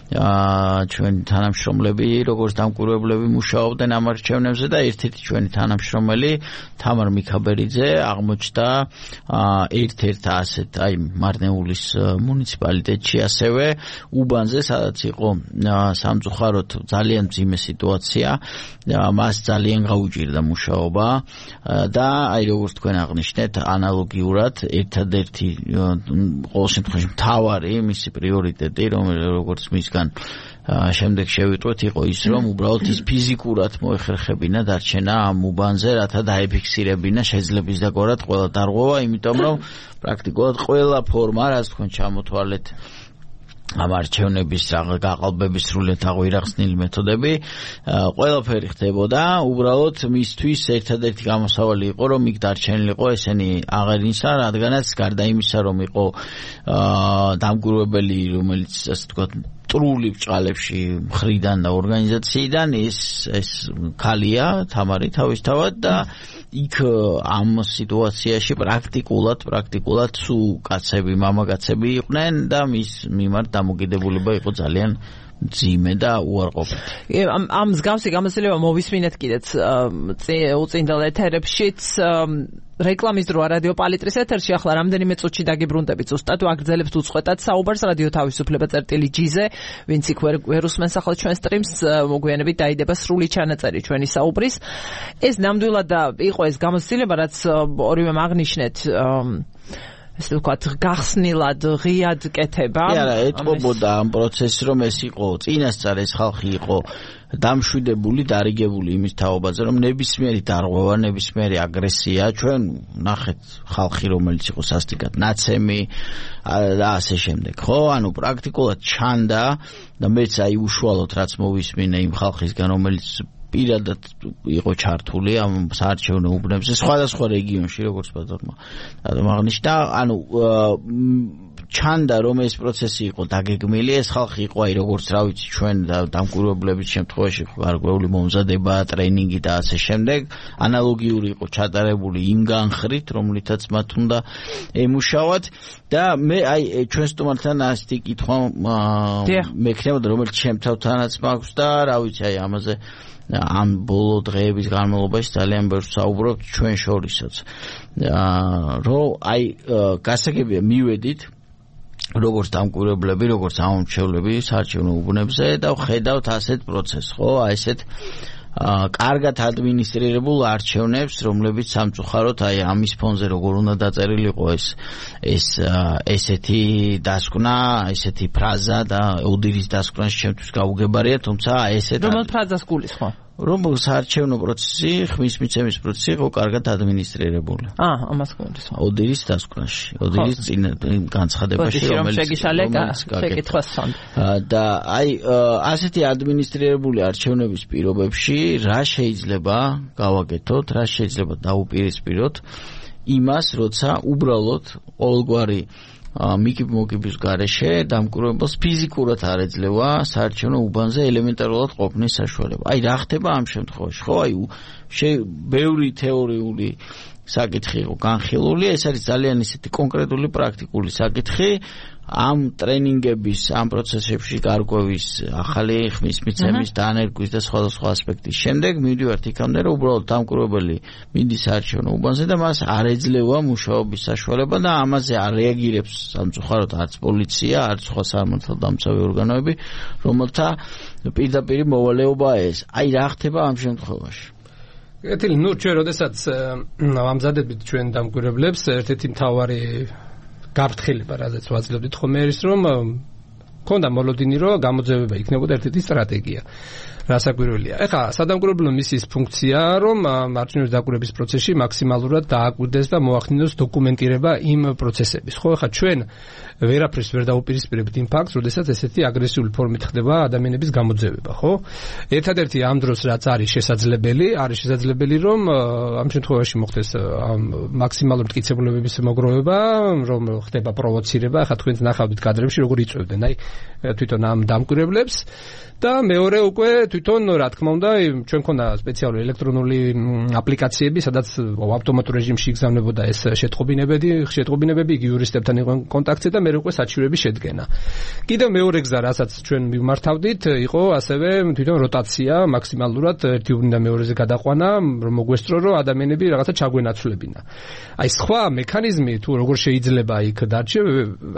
ჩვენი თანამშრომლები, როგორც დამკვირვებლები მუშაობდნენ ამ არჩევნებზე და ერთ-ერთი ჩვენი თანამშრომელი თამარ მიქაბერიძე აღმოჩნდა ერთ-ერთ ასეთ აი მარნეულის მუნიციპალიტეტში ასევე უბანზე, სადაც იყო სამწუხაროდ ძალიან მძიმე სიტუაცია, მას ძალიან გაუჭირდა მუშაობა და აი როგორც თქვენ აღნიშნეთ, ანალოგიურად ერთადერთი ყოველ შემთხვევაში მთავარი მისი პრიორიტეტი, როგორც მისგან შემდეგ შევიტყვეთ, იყო ის, რომ უბრალოდ ის ფიზიკურად მოეხერხებინა დარჩენა ამ უბანზე, რათა დაეფიქსირებინა შეძლების დაგვარად ყველა დარღვევა, იმიტომ რომ პრაქტიკულად ყველა ფორმა, რაც თქვენ ჩამოთვალეთ ამ არჩევნების გაყალბების სრულიად აღვირახსნილი მეთოდები, ყველაფერი ხდებოდა, უბრალოდ მისთვის ერთადერთი გამოსავალი იყო, რომ იქ დარჩენილიყო ესენი აღერინსა, რადგანაც გარდა იმისა, რომ იყო დამკვირვებელი, რომელიც ასე ვთქვათ ტრული ბჭყალებში მხრიდან და ორგანიზაციიდან ის ეს ქალია, თამარი თავისთავად და იქ ამ სიტუაციაში პრაქტიკულად პრაქტიკულად სულ კაცები, მამაკაცები იყვნენ და მის მიმართ დამოკიდებულება იყო ძალიან მძიმე და უარყოფითი. ამ ამ მსგავსი გამოცდილება მოვისმინეთ კიდეც უწინდელ ეთერებშიც რეკლამის დროა რადიო პალიტრის ეთერში, ახლა რამდენიმე წუთში დაგიბრუნდებით ზუსტად ვაგრძელებთ უწყვეტად საუბარს რადიო თავისუფლება წერტილი ჯიზე, ვინც იქ ვერ უსმენს ახლა ჩვენ სტრიმს, მოგვიანებით დაიდება სრული ჩანაწერი ჩვენი საუბრის. ეს ნამდვილად იყო ეს გამოცდილება, რაც ორივემ აღნიშნეთ ესე ვთქვათ, გახსნილად, ღიად კეთება. არა, ეტყობოდა ამ პროცესს, რომ ეს იყო წინასწარ ეს ხალხი იყო დამშვიდებული, დარიგებული იმის თაობაზე, რომ ნებისმიერი დარღვევა, ნებისმიერი აგრესია, ჩვენ ნახეთ ხალხი, რომელიც იყო სასტიკად ნაცემი და ასე შემდეგ. ხო, ანუ პრაქტიკულად ჩანდა და მეც აი უშუალოდ რაც მოვისმინე იმ ხალხისგან, რომელიც პირადად იყო ჩართული ამ საარჩევნო უბნებზე სხვადასხვა რეგიონში, როგორც ბატონმა აღნიშნა, ანუ ჩანდა, რომ ეს პროცესი იყო დაგეგმილი, ეს ხალხი იყო, აი როგორც რა ვიცი, ჩვენ და დამკვირვებლების შემთხვევაში გარკვეული მომზადება, ტრენინგი და ასე შემდეგ, ანალოგიური იყო ჩატარებული იმ განხრით, რომლითაც მათ უნდა ემუშავათ და მე აი ჩვენ სტუმართან ასეთი კითხვა მექნებოდა, რომელიც ჩემ თავთანაც მაქვს და რა ვიცი, აი ამაზე ამ ბოლო დღეების განმავლობაში ძალიან ბევრს საუბრობთ ჩვენ შორისაც. რომ აი გასაგებია მივედით როგორც დამკვირვებლები, როგორც ამომრჩევლები საარჩევნო უბნებზე და ვხედავთ ასეთ პროცესს, ხო, აი ესეთ კარგად ადმინისტრირებულ არჩევნებს, რომლებიც სამწუხაროდ აი ამის ფონზე როგორ უნდა დაწერილიყო ეს ეს ესეთი დასკვნა, ესეთი ფრაზა და ოდირის დასკვნაში ჩემთვის გაუგებარია, თუმცა ესეთ რომელ ფრაზას გულისხმობ? რომ საარჩევნო პროცესი, ხმის მიცემის პროცესი იყო კარგად ადმინისტრირებული. აა, ამას გულისხმობ. ოდირის დასკვნაში, ოდირის წინ განცხადებაში, რომელიც შეკითხვას სანდ. და აი ასეთი ადმინისტრირებული არჩევნების პირობებში რა შეიძლება გავაკეთოთ, რა შეიძლება დაუპირისპიროთ იმას, როცა უბრალოდ ყოველგვარი მიკიბ-მოკიბის გარეშე დამკვირვებელს ფიზიკურად არ ეძლევა საარჩევნო უბანზე ელემენტარულად ყოფნის საშუალება. აი რა ხდება ამ შემთხვევაში? ხო, აი ბევრი თეორიული საკითხი იყო განხილული, ეს არის ძალიან ისეთი კონკრეტული პრაქტიკული საკითხი. ამ ტრენინგების, ამ პროცესებში გარკვევის, ახალი ხმის მიცემის, დანერგვის და სხვადასხვა ასპექტის შემდეგ მივდივართ იქამდე, რომ უბრალოდ დამკვირვებელი მინდის საარჩევნო უბანზე და მას არ ეძლევა მუშაობის საშუალება და ამაზე არ რეაგირებს სამწუხაროდ არც პოლიცია, არც სხვა სამართალდამცავი ორგანოები, რომელთა პირდაპირ მოვალეობაა ეს. აი რა ხდება ამ შემთხვევაში? ეთილი, ნუ ჩვენ როდესაც ამზადებით ჩვენ დამკვირვებლებს, ერთ-ერთი მთავარი გაფრთხილება, რაზეც ვაძლევდით ხომ არის, რომ ქონდა მოლოდინი, რომ გამოძევება იქნებოდა ერთ-ერთი სტრატეგია. რასაკვირველია. ეხლა სადამკვირვებლო მისიის ფუნქცია, რომ არჩევნების დაკვირვების პროცესში მაქსიმალურად დააკვირდეს და მოახდინოს დოკუმენტირება იმ პროცესების. ხო, ეხლა ჩვენ ვერაფერს ვერ დაუპირისპირებთ იმ ფაქტს, როდესაც ესეთი აგრესიული ფორმით ხდება ადამიანების გამოძევება, ხო? ერთადერთი ამ დროს რაც არის შესაძლებელი, არის შესაძლებელი, რომ ამ შემთხვევაში მოხდეს მაქსიმალური მტკიცებულებების მოგროვება, რომ ხდება პროვოცირება. ეხლა თქვენც ნახავთ კადრებში, როგორ იწვევდნენ აი თვითონ ამ დამკვირვებლებს და მეორე უკვე თვითონ რა თქმა უნდა ჩვენ ქონდა სპეციალური ელექტრონული აპლიკაციები, სადაც ავტომატურ რეჟიმში იგზავნებოდა ეს შეტყობინებები, შეტყობინებები იგი იურისტებთან იყვნენ კონტაქტზე და მე უკვე საჩივრების შედგენა. კიდევ მეორე გზა, რასაც ჩვენ მიმართავდით, იყო ასევე თვითონ როტაცია, მაქსიმალურად ერთი უბნიდან მეორეზე გადაყვანა, რომ მოგვესწრო, რომ ადამიანები რაღაცა ჩაგვენაცვლებინა. აი სხვა მექანიზმი თუ როგორ შეიძლება იქ დარჩე,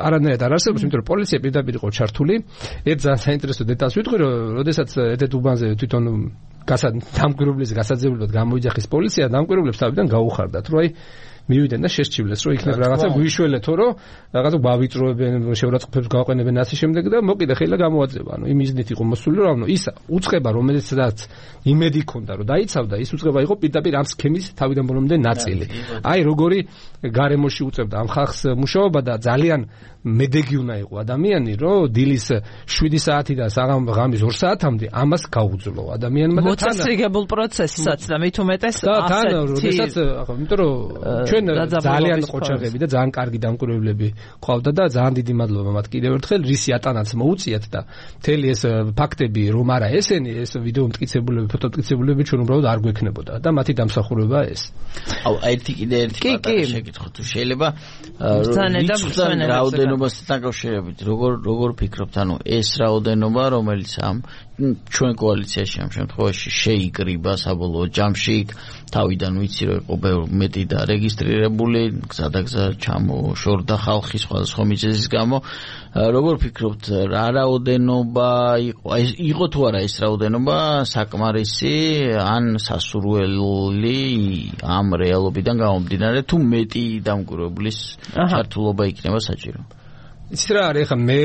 არანაირად არ არსებობს, იმიტომ რომ პოლიცია პირდაპირ იყო ჩართული. ერთ ძალიან საინტერესო დეტალს ვიტყვი, რომ როდესაც ერთ უბანზე თვითონ დამკვირვებლის გასაძიებლად გამოიძახის პოლიცია, დამკვირვებლებს თავიდან გაუხარდათ, რომ აი მივიდნენ და შესჩივლეს, რომ იქნებ რაღაცა გვიშველეთო, რომ რაღაცა გვავიწროებენ, შეურაცხყოფებს გავაყენებენ ასე შემდეგ და მოკიდა ხელა გამოაძევა. ანუ იმ მიზნით იყო მოსული, რომ ის უწყება, რომელიცაც იმედი ქონდა, რომ დაიცავდა, ის უწყება იყო პირდაპირ ამ სქემის თავიდან ბოლომდე ნაწილი. აი როგორი გარემოში უწევდა ამ ხალხს მუშაობა და ძალიან მედეგი უნდა იყო ადამიანი, რომ დილის შვიდი საათიდან საღამის ორ საათამდე ამას გაუძლო ადამიანმა და თან მოწესრიგებულ პროცესსაც და მით უმეტეს ასეთი და როდესაც იმიტომ რომ ჩვენ ძალიან ყოჩაღები და ძალიან კარგი დამკვირვებლები ყავდა და ძალიან დიდი მადლობა მათ კიდევ ერთხელ რისი ატანაც მოუწიათ და მთელი ეს ფაქტები რომ არა ესენი ეს ვიდეო მტკიცებულები ფოტო მტკიცებულები ჩვენ უბრალოდ არ გვექნებოდა და მათი დამსახურება ეს. აუ ერთი კიდე ერთი პატარა შეკითხვა თუ შეიძლება რაოდენობასთან დაკავშირებით როგორ როგორ ფიქრობთ ანუ ეს რაოდენობა რომელიც ამ ჩვენ კოალიციაში ამ შემთხვევაში შეიკრიბა საბოლოო ჯამში თავიდან ვიცი რომ იყო მეტი და რეგისტრირებული გზადაგზა ჩამოშორდა ხალხი სხვადასხვა მიზეზის გამო როგორ ფიქრობთ რა რაოდენობა იყო იყო თუ არა ეს რაოდენობა საკმარისი ან სასურველი ამ რეალობიდან გამომდინარე თუ მეტი დამკვირვებლის ჩართულობა იქნება საჭირო. იცით რა არის ახლა მე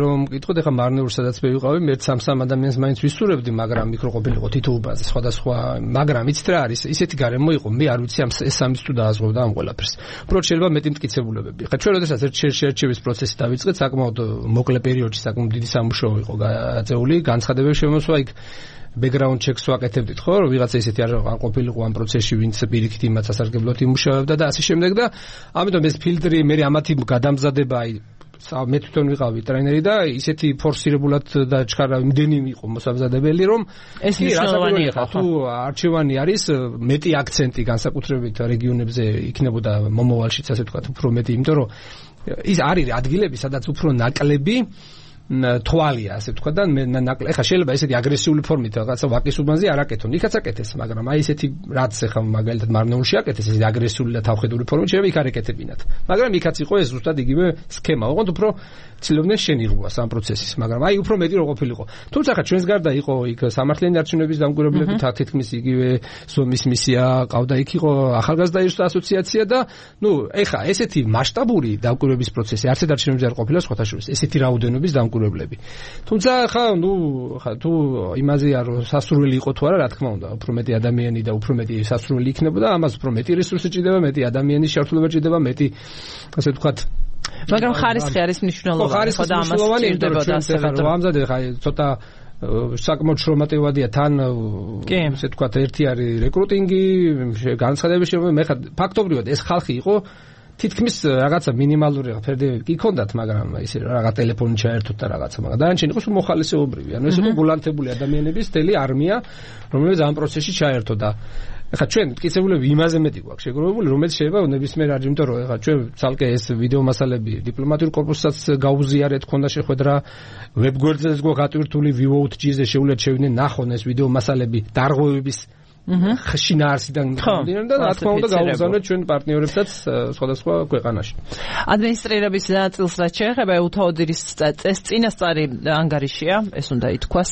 რომ მკითხოთ ახლა მარნეულს სადაც მე ვიყავი მე სამ-სამ ადამიანს მაინც ვისურვებდი მაგრამ იქ რო ყოფილიყო თითო უბანზე სხვადასხვა მაგრამ იცით რა არის ისეთი გარემო იყო მე არ ვიცი ამ ეს სამის თუ დააზღვევდა ამ ყველაფერს უბრალოდ შეიძლება მეტი მტკიცებულებები ხა ჩვენ როდესაც ერთ შეერჩევის პროცესი დავიწყეთ საკმაოდ მოკლე პერიოდში საკმაოდ დიდი სამუშაო იყო გაწეული განცხადებები შემოსვა იქ background checks ვაკეთებდით ხო რომ ვიღაცა ისეთი არ ყოფილიყო ამ პროცესში ვინც პირიქით იმას სასარგებლოდ იმუშავებდა და ასე შემდეგ და ამიტომ ეს ფილტრი მე ამათი გადამზადება აი მე თვითონ ვიყავი ტრენერი და ისეთი ფორსირებულად და ჩქარა იმდენი იყო მოსამზადებელი რომ ეს მნიშვნელოვანი იყო თუ არჩევანი არის მეტი აქცენტი განსაკუთრებით რეგიონებზე იქნებოდა მომავალშიც ასე ვთქვათ უფრო მეტი იმიტომ რომ ის არის ადგილები სადაც უფრო ნაკლები თვალია ასე ვთქვა და მე ნაკლები ეხა შეიძლება ესეთი აგრესიული ფორმით რაღაცა ვაკის უბანზე არ აკეთონ იქაც აკეთეს მაგრამ აი ესეთი რაც ეხა მაგალითად მარნეულში აკეთეს ესეთი აგრესიული და თავხედური ფორმით შეიძლება იქ არ ეკეთებინათ მაგრამ იქაც იყო ეს ზუსტად იგივე სქემა ოღონდ უფრო ცდილობდნენ შენიღბვას ამ პროცესის მაგრამ აი უფრო მეტი რო ყოფილიყო თუმცა ხა ჩვენს გარდა იყო იქ სამართლიანი არჩევნების დამკვირვებლები თითქმის იგივე ზომის მისია ყავდა იქ იყო ახალგაზრდა ასოციაცია და ნუ ეხა ესეთი მასშტაბური დამკვირვების პროცესი არც ერთ არჩევნებზე არ ყოფილა სხვათა შორის ესეთი რაოდენობის დამკვირვებლები თუმცა ხა ნუ ხა თუ იმაზეა რომ სასურველი იყო თუ არა რა თქმა უნდა უფრო მეტი ადამიანი და უფრო მეტი სასურველი იქნებოდა ამას უფრო მეტი რესურსი ჭირდება მეტი ადამიანის შართულობა ჭირდება მეტი ასე ვთქვათ მაგრამ ხარისხი არის მნიშვნელოვანი ხო და ამას ჭირდებოდა ასე რომ ამზადე ხა ცოტა საკმაოდ შრომატევადია თან ესე ვთქვათ ერთი არის რეკრუტინგი განცხადების შემო მე ხა ფაქტობრივად ეს ხალხი იყო თითქმის რაღაცა მინიმალური ფერდები კი ქონდათ მაგრამ ისე რაღაც ტელეფონი ჩაერთოთ და რაღაცა მაგრამ დანარჩენი იყო მოხალისეობრივი ანუ ეს იყო გულანთებული ადამიანების თელი არმია რომელიც ამ პროცესში ჩაერთო და ეხლა ჩვენ მტკიცებულები იმაზე მეტი გვაქვს შეგროვებული რომელიც შეიძლება ნებისმიერ არ იმიტომ რომ ეხლა ჩვენ ცალკე ეს ვიდეო მასალები დიპლომატიურ კორპუსსაც გაუზიარეთ ქონდა შეხვედრა ვებგვერდზეც გვაქვს ატვირთული ვიოუთჯი-ზე შეუძლიათ შევიდნენ ნახონ ეს ვიდეო მასალები დარღვევების შინაარსიდან გამომდინარე და რა თქმა უნდა გაუგზავნეთ ჩვენ პარტნიორებსაც სხვადასხვა ქვეყანაში. ადმინისტრირების ნაწილს რაც შეეხება უთაოდირის წესწინასწარი ანგარიშია, ეს უნდა ითქვას.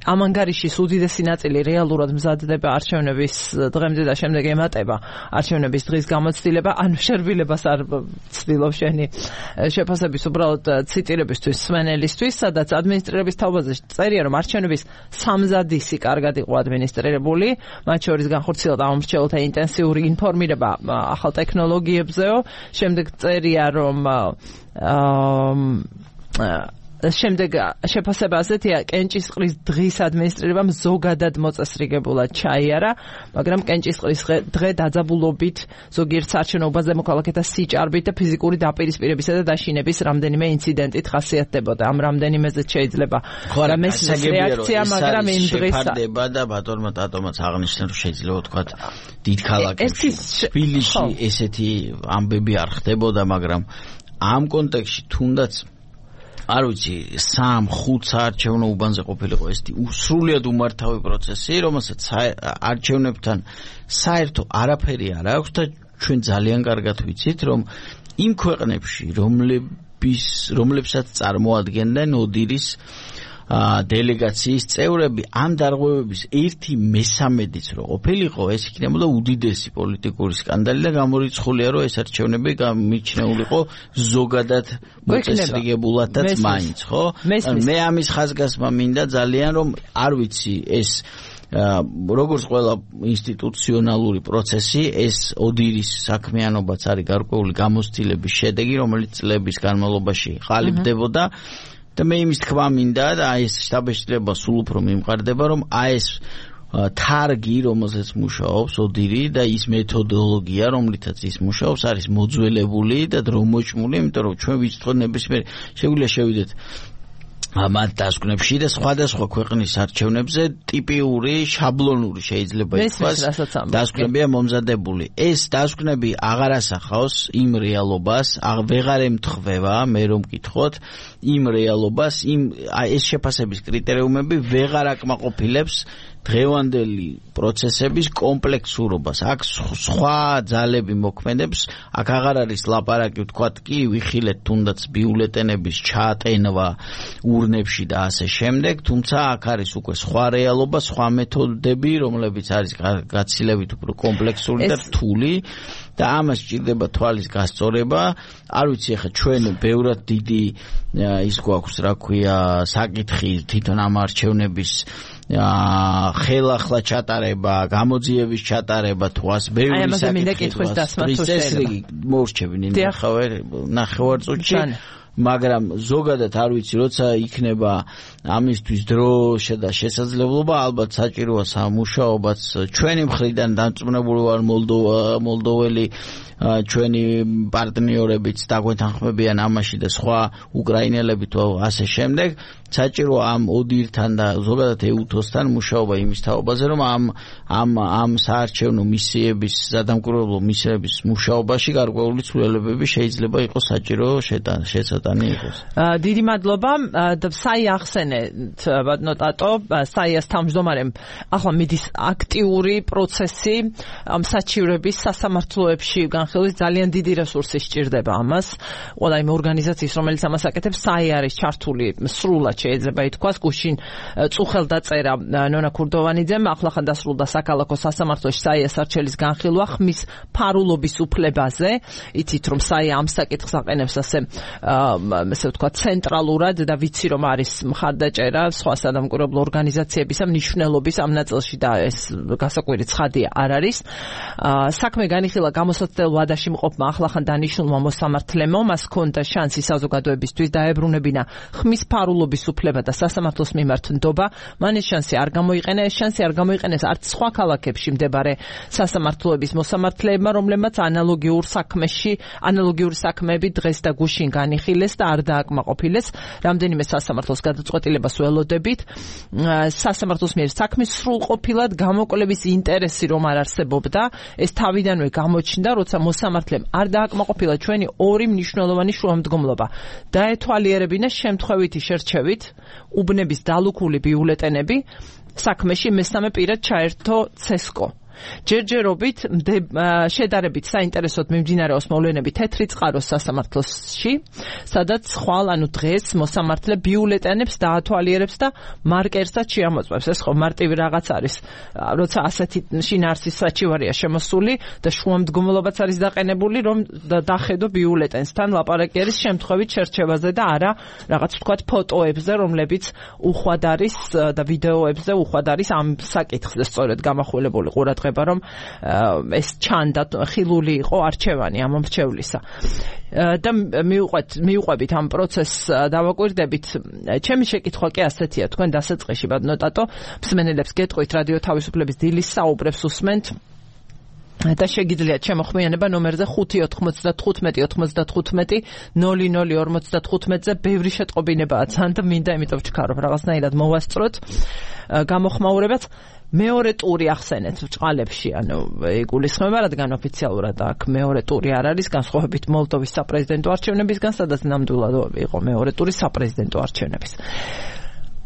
ამ ანგარიშის უდიდესი ნაწილი რეალურად მზადდება არჩევნების დღემდე და შემდეგ ემატება არჩევნების დღის გამოცდილება, ანუ შერბილებას არ ცდილობ შენი შეფასების უბრალოდ ციტირებისთვის სვენელისთვის, სადაც ადმინისტრირების თაობაზე წერია რომ არჩევნების სამზადისი კარგად იყო ადმინისტრირებული, მათ შორის განხორციელდა ამომრჩეველთა ინტენსიური ინფორმირება ახალ ტექნოლოგიებზეო, შემდეგ წერია რომ შემდეგ შეფასებაზეა კენჭისყრის დღის ადმინისტრირებამ ზოგადად მოწესრიგებულად ჩაიარა, მაგრამ კენჭისყრის დღე დაძაბულობით, ზოგიერთ საარჩევნო მოქალაქეთა სიჭარბით და ფიზიკური დაპირისპირებისა და დაშინების რამდენიმე ინციდენტით ხასიათდებოდა. ამ რამდენიმეზე შეიძლება მესმის რეაქცია, მაგრამ იმ დღეს შეფარდება და ბატონმა ტატომაც აღნიშნა, რომ შეიძლება თქვა დიდ ქალაქებში თბილისში ესეთი ამბები არ ხდებოდა, მაგრამ ამ კონტექსტში თუნდაც არ ვიცი, სამ-ხუთ საარჩევნო უბანზე ყოფილიყო ესეთი სრულიად უმართავი პროცესი, რომელსაც არჩევნებთან საერთო არაფერი არ აქვს და ჩვენ ძალიან კარგად ვიცით, რომ იმ ქვეყნებში, რომლების რომლებსაც წარმოადგენდნენ ოდირის დელეგაციის წევრები, ამ დარღვევების ერთი მესამედიც რო ყოფილიყო, ეს იქნებოდა უდიდესი პოლიტიკური სკანდალი და გამორიცხულია, რომ ეს არჩევნები გამიჩნეულიყო ზოგადად მოწესრიგებულადაც მაინც, ხო? მე ამის ხაზგასმა მინდა ძალიან, რომ არ ვიცი ეს როგორც ყველა ინსტიტუციონალური პროცესი, ეს ოდირის საქმიანობაც არის გარკვეული გამოცდილების შედეგი, რომელიც წლების განმავლობაში ყალიბდებოდა. და მე იმის თქმა მინდა და აი ეს შტაბ-შეწირება სულ უფრო მიმყარდება, რომ აი ეს თარგი, რომელზეც მუშაობს ოდირი და ის მეთოდოლოგია, რომლითაც ის მუშაობს, არის მოძველებული და დრომოჭმული, იმიტომ რომ ჩვენ ვიცით ნებისმიერ შეგვიძლია შევიდეთ მათ დასკვნებში და სხვადასხვა ქვეყნის არჩევნებზე ტიპიური, შაბლონური შეიძლება ითქვას დასკვნებია მომზადებული. ეს დასკვნები აღარ ასახავს იმ რეალობას, ვეღარ ემთხვევა, მე რომ მკითხოთ, იმ რეალობას, იმ ეს შეფასების კრიტერიუმები ვეღარ აკმაყოფილებს დღევანდელი პროცესების კომპლექსურობას. აქ სხვა ძალები მოქმედებს, აქ აღარ არის ლაპარაკი, ვთქვათ კი, ვიხილეთ თუნდაც ბიულეტენების ჩაატენვა ურნებში და ასე შემდეგ, თუმცა აქ არის უკვე სხვა რეალობა, სხვა მეთოდები, რომლებიც არის გაცილებით უფრო კომპლექსური და რთული და ამას სჭირდება თვალის გასწორება. არ ვიცი, ახლა ჩვენ ბევრად დიდი ის გვაქვს, რა ქვია, საკითხი თვითონ ამ არჩევნების ხელახლა ჩატარება, გამოძიების ჩატარება, თუ ას ბევრი საკითხი მოვრჩები ნახევარწუთში, მაგრამ ზოგადად არ ვიცი, როცა იქნება ამისთვის დრო და შესაძლებლობა, ალბათ საჭიროა სამუშაობაც ჩვენი მხრიდან დამწმუნებული ვარ მოლდოველი ჩვენი პარტნიორებიც დაგვეთანხმებიან ამაში და სხვა უკრაინელები თუ ასე შემდეგ. საჭიროა ამ ოდირთან და ზოგადად ეუთოსთან მუშაობა იმის თაობაზე, რომ ამ ამ ამ საარჩევნო მისიების, სადამკვირვებლო მისიების მუშაობაში გარკვეული ცვლილებები შეიძლება იყოს საჭირო შეცატანი იყოს. დიდი მადლობა. საი ახსენეთ, ბატონო ტატო, საიას თავმჯდომარემ ახლა მიდის აქტიური პროცესი ამ საჩივრების სასამართლოებში განხილვის, ძალიან დიდი რესურსი სჭირდება ამას. ყველა იმ ორგანიზაციის, რომელიც ამას აკეთებს, საი არის ჩართული სრულად შეიძლება ითქვას, გუშინ წუხელდაწერა ნონა ქურდოვანიძემ, ახლახან დასრულდა საქალაქო სასამართლოში საიას არჩელის განხილვა ხმის ფარულობის უფლებაზე. იცით, რომ საი ამ საკითხს აყენებს ასე ესე ვთქვათ ცენტრალურად და ვიცი, რომ არის მხარდაჭერა სხვა სადამკვირვებლო ორგანიზაციებისა მნიშვნელობის ამ ნაწილში და ეს გასაკვირი ცხადია არ არის. საქმე განიხილა გამოსაცდელ ვადაში მყოფმა ახლახან დანიშნულმა მოსამართლემო, მას ჰქონდა შანსი საზოგადოებისთვის დაებრუნებინა ხმის ფარულობის უფლება და სასამართლოს მიმართ ნდობა. მან ეს შანსი არ გამოიყენა, ეს შანსი არ გამოიყენეს არც სხვა ქალაქებში მდებარე სასამართლოების მოსამართლეებმა, რომლებმაც ანალოგიურ საქმეში, ანალოგიური საქმეები დღეს და გუშინ განიხილეს და არ დააკმაყოფილეს. რამდენიმე სასამართლოს გადაწყვეტილებას ველოდებით. სასამართლოს მიერ საქმის სრულყოფილად გამოკვლევის ინტერესი რომ არ არსებობდა, ეს თავიდანვე გამოჩნდა, როცა მოსამართლემ არ დააკმაყოფილა ჩვენი ორი მნიშვნელოვანი შუამდგომლობა. დაეთვალიერებინა შემთხვევითი შერჩევით უბნების დალუქული ბიულეტენები, საქმეში მესამე პირად ჩაერთო ცესკო. ჯერჯერობით შედარებით საინტერესოდ მიმდინარეობს მოვლენები თეთრი წყაროს სასამართლოში, სადაც ხვალ ანუ დღეს მოსამართლე ბიულეტენებს დაათვალიერებს და მარკერსაც შეამოწმებს. ეს ხო მარტივი რაღაც არის, როცა ასეთი შინაარსის საჩივარია შემოსული და შუამდგომლობაც არის დაყენებული, რომ დახედო ბიულეტენს. თან ლაპარაკი არის შემთხვევით შერჩევაზე და არა რაღაც ვთქვათ ფოტოებზე, რომლებიც უხვად არის და ვიდეოებზე უხვად არის ამ საკითხზე სწორედ გამახვილებული ყურადღება ეხება, რომ ეს ჩანდა ხილული იყო არჩევანი ამ მრჩევლისა. და მიუყვეთ მიუყვებით ამ პროცესს დავაკვირდებით. ჩემი შეკითხვა კი ასეთია, თქვენ დასაწყისში ბატონოტატო მსმენელებს გეტყვით რადიო თავისუფლების დილის საუბრებს უსმენთ და შეგიძლიათ შემოხმიანება ნომერზე ხუთი ოთხმოცდათხუთმეტი ოცდათხუთმეტი ნული ნული ორმოცდათხუთმეტზე ბევრი შეტყობინებაა თან და მინდა იმიტომ ვჩქარობ რაღაცნაირად მოვასწროთ გამოხმაურებაც. მეორე ტური ახსენეთ ბჭყალებში, ანუ იგულისხმება, რადგან ოფიციალურად აქ მეორე ტური არ არის, განსხვავებით მოლდოვის საპრეზიდენტო არჩევნებისგან, სადაც ნამდვილად იყო მეორე ტური საპრეზიდენტო არჩევნების.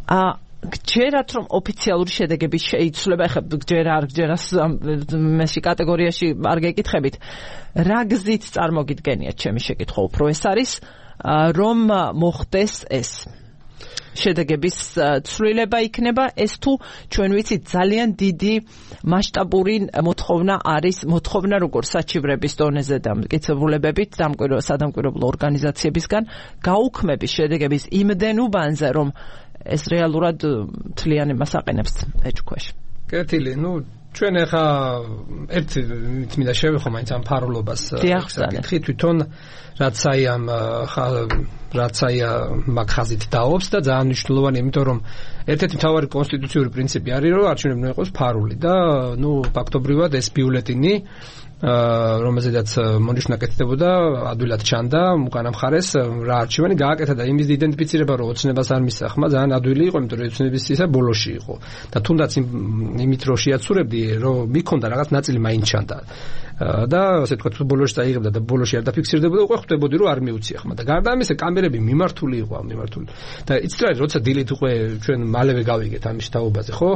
ა გჯერათ რომ ოფიციალური შედეგები შეიცვლება, ეხლა გჯერა არ გჯერას მესი კატეგორიაში არ გეკითხებით. რა გზით წარმოგიდგენიათ ჩემი შეკითხვა უფრო ეს არის, რომ მოხდეს ეს შედეგების ცვლილება იქნება ეს თუ ჩვენ ვიცით ძალიან დიდი მასშტაბური მოთხოვნა არის მოთხოვნა როგორც საჩივრების დონეზე და მტკიცებულებებით სადამკვირვებლო ორგანიზაციებისგან გაუქმების შედეგების იმდენ უბანზე რომ ეს რეალურად თლიანებას აყენებს ეჭქვეშ. კეთილი, ну ჩვენ ახლა ერთ მინდა შევეხო მაინც ამ ფარულობას საკითხი თვითონ რაც აი ამ რაც აი მაგ ხაზით დაობს და ძალიან მნიშვნელოვანია, იმიტომ რომ ერთ-ერთი მთავარი კონსტიტუციური პრინციპი არის რომ არჩევნები უნდა იყოს ფარული და ну ფაქტობრივად ეს ბიულეტინი რომელზედაც მონიშნა კეთდებოდა ადვილად ჩანდა უკანა მხარეს რა არჩევანი გააკეთა და იმის იდენტიფიცირება რომ ოცნებას არ მისახმა ძალიან ადვილი იყო, იმიტომ რომ ოცნების ისა ბოლოში იყო და თუნდაც იმით რომ შეაცურებდი რომ მიქონდა რაღაც ნაწილი მაინც ჩანდა და ასე თქვა თუ ბოლოში წაიღებდა და ბოლოში არ დაფიქსირდებოდა უკვე ხვდებოდი რომ არ მიუცია ხმა და გარდა ამისა კამერები მიმართული იყო ამ მიმართული და იცით რა როცა დილით უკვე ჩვენ მალევე გავიგეთ ამის თაობაზე ხო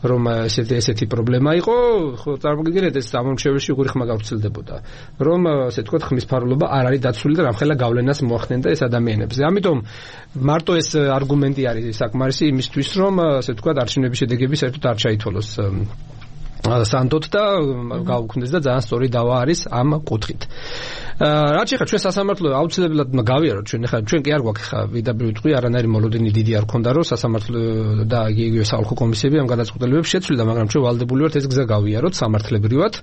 რომ ესეთი ესეთი პრობლემა იყო ხო წარმოგიდგენთ ეს ამომრჩეველში უღური ხმა გავრცელდებოდა რომ ასე თქვა ხმის ფარულობა არ არის დაცული და რამხელა გავლენას მოახდენდა ეს ადამიანებზე. ამიტომ მარტო ეს არგუმენტი არის საკმარისი იმისთვის რომ ასე თქვა არჩევნების შედეგები საერთოდ არ ჩაითვალოს სანდოთ და გაუქმდეს და ძალიან სწორი დავა არის ამ კუთხით. რაც ახლა ჩვენ სასამართლო აუცილებლად გავიაროთ ჩვენ ახლა ჩვენ კი არ გვაქვს ახლა ვიდაბრი ვიტყვი არანაირი მოლოდინი დიდი არ ქონდა რომ სასამართლო და იგივე საოლქო კომისიები ამ გადაწყვეტილებებს შეცვლიდა, მაგრამ ჩვენ ვალდებული ვართ ეს გზა გავიაროთ სამართლებრივად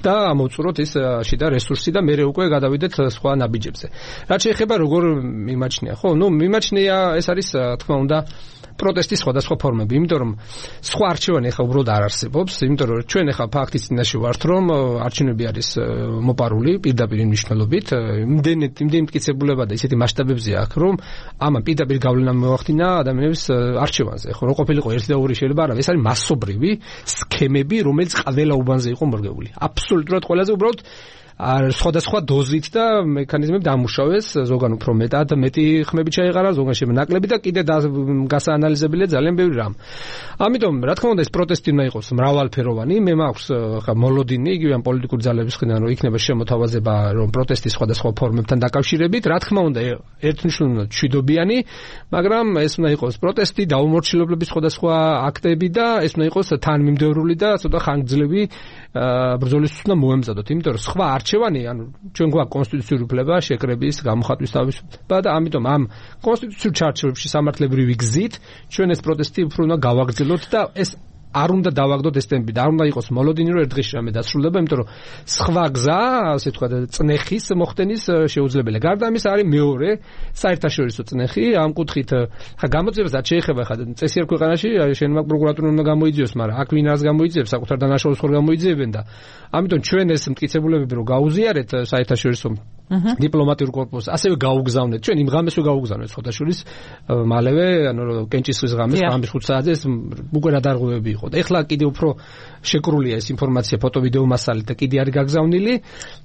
და ამოვწუროთ ის შიდა რესურსი და მერე უკვე გადავიდეთ სხვა ნაბიჯებზე. რაც შეეხება როგორ მიმაჩნია, ხო, ნუ მიმაჩნია ეს არის თქმა უნდა პროტესტის სხვადასხვა ფორმები, იმიტომ რომ სხვა არჩევანი ახლა უბრალოდ არ არსებობს, იმიტომ რომ ჩვენ ახლა ფაქტის წინაშე ვართ, რომ არჩევნები არის მოპარული პირდაპირ მნიშვნელობით, იმდენი იმდენი მტკიცებულება და ისეთი მასშტაბებზე აქვს, რომ ამან პირდაპირ გავლენა მოახდინა ადამიანების არჩევანზე. ხო, რო ყოფილიყო ერთი და ორი შეიძლება არა, ეს არის მასობრივი სქემები, რომელიც ყველა უბანზე იყო მორგებული. აბსოლუტურად ყველაზე უბრალოდ არ სხვადასხვა დოზით და მექანიზმები დამუშავეს, ზოგან უფრო მეტად მეტი ხმები ჩაეყარა, ზოგან შეიძლება ნაკლები და კიდე გასაანალიზებელია ძალიან ბევრი რამ. ამიტომ რა თქმა უნდა ეს პროტესტი უნდა იყოს მრავალფეროვანი, მე მაქვს ხა მოლოდინი იგივე ამ პოლიტიკური ძალების მხრიდან რომ იქნება შემოთავაზება რომ პროტესტის სხვადასხვა ფორმებთან დაკავშირებით, რა თქმა უნდა ერთმნიშვნელოვნად მშვიდობიანი, მაგრამ ეს უნდა იყოს პროტესტი, დაუმორჩილებლობის სხვადასხვა აქტები და ეს უნდა იყოს თანმიმდევრული და ცოტა ხანგრძლივი ბრძოლისთვის უნდა მოემზადოთ, იმიტომ რომ სხვა არჩევანი, ანუ ჩვენ გვაქვს კონსტიტუციური უფლება შეკრების, გამოხატვის თავისუფლება და ამიტომ ამ კონსტიტუციურ ჩარჩოებში სამართლებრივი გზით ჩვენ ეს პროტესტი უფრო უნდა გავაგრძელოთ და ეს არ უნდა დავაგდოთ ეს ტემპი და არ უნდა იყოს მოლოდინი რომ ერთ დღეში რამე დასრულდება, იმიტომ რომ სხვა გზა, ასე თქვა, წნეხის მოხდენის შეუძლებელია. გარდა ამისა არის მეორე საერთაშორისო წნეხი, ამ კუთხით ხა გამოძიებასაც შეეხება ხა წესიერ ქვეყანაში შენ მაგ პროკურატურამ უნდა გამოიძიოს, მაგრამ აქ ვინ არს გამოიძიებს, საკუთარ დანაშაულს ხარ გამოიძიებენ და ამიტომ ჩვენ ეს მტკიცებულებები რომ გაუზიარეთ საერთაშორისო დიპლომატიურ კორპუსს, ასევე გაუგზავნეთ. ჩვენ იმ ღამეს ვეგაუგზავნეთ ხოთაშურის მალევე, ანუ კენჭისყრის ღამეს, ღამის ხუთ საათზე ეს უკვე გადარღვევები იყო. ეხლა კიდე უფრო შეკრულია ეს ინფორმაცია ფოტო-ვიდეო მასალით და კიდე არის გაგზავნილი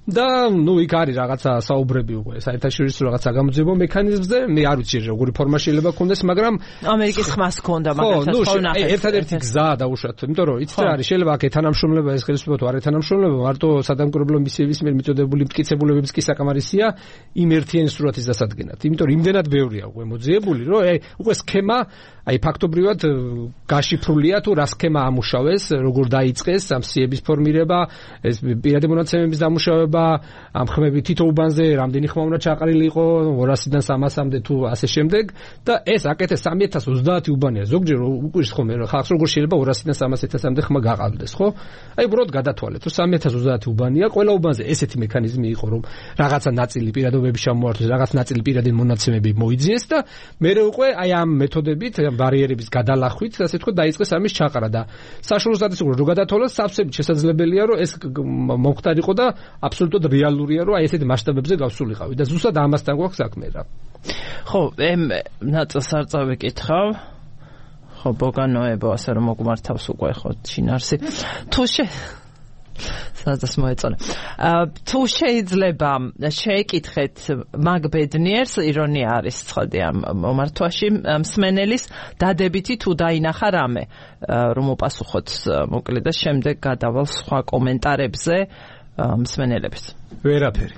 და ნუ იქ არის რაღაცა საუბრები უკვე საერთაშორისო რაღაცა გამოძიებო მექანიზმზე. მე არ ვიცი როგორი ფორმა შეიძლება ქონდეს, მაგრამ ამერიკის ხმას ქონდა მაგასაც ხო ნახეთ. ერთადერთი გზაა დაუშვათ, იმიტომ რომ იცით რა არის, შეიძლება აქ ეთანამშრომლობა ეს ხელისუფლება თუ არ ეთანამშრომლობა, მარტო სადამკვირვებლო მისიების მიერ მიწოდებული მტკიცებულებების კი საკამარი საკმარისია იმ ერთიანი სურათის დასადგენად. იმიტომ რომ იმდენად ბევრია უკვე მოძიებული, რომ უკვე სქემა აი ფაქტობრივად გაშიფრულია თუ რა სქემა ამუშავეს, როგორ დაიწყეს ამ სიების ფორმირება, ეს პირადი მონაცემების დამუშავება, ამ ხმები თითო უბანზე რამდენი ხმა უნდა ჩაყრილი იყო, ორასიდან სამასამდე თუ ასე შემდეგ და ეს აკეთეს სამი ათას ოცდაათი უბანია. ზოგჯერ უკვირს ხოლმე რომ ხალხს როგორ შეიძლება ორასიდან სამას ათასამდე ხმა გაყალბდეს, ხო? აი უბრალოდ გადათვალეთ, რომ სამი ათას ოცდაათი უბანია, ყველა უბანზე ესეთი მექანიზმი იყო, რომ რაღაცა ნაწილი პირადობები ჩამოართვეს, რაღაც ნაწილი პირადი მონაცემები მოიძიეს და მერე უკვე აი ამ მეთოდებით ბარიერების გადალახვით, ასე თქვა, დაიწყეს ამის ჩაყრა და საშუალო სტატისტიკურად რო გადათვალოს, სავსებით შესაძლებელია, რომ ეს მომხდარიყო და აბსოლუტურად რეალურია, რომ აი ესეთ მასშტაბებზე გავსულიყავი და ზუსტად ამასთან გვაქვს საქმე რა. ხო, ემ ნაწილს არ წავიკითხავ. ხო, ბოგანოებო, ასე რომ მოგმართავს უკვე ხო შინარსი. თუ შე სადაც მოეწონა. თუ შეიძლება შეეკითხეთ მაგ ბედნიერს, ირონია არის ცხადი ამ მომართვაში, მსმენელის დადებითი თუ დაინახა რამე, რომ უპასუხოთ მოკლედ და შემდეგ გადავალ სხვა კომენტარებზე მსმენელებს. ვერაფერი.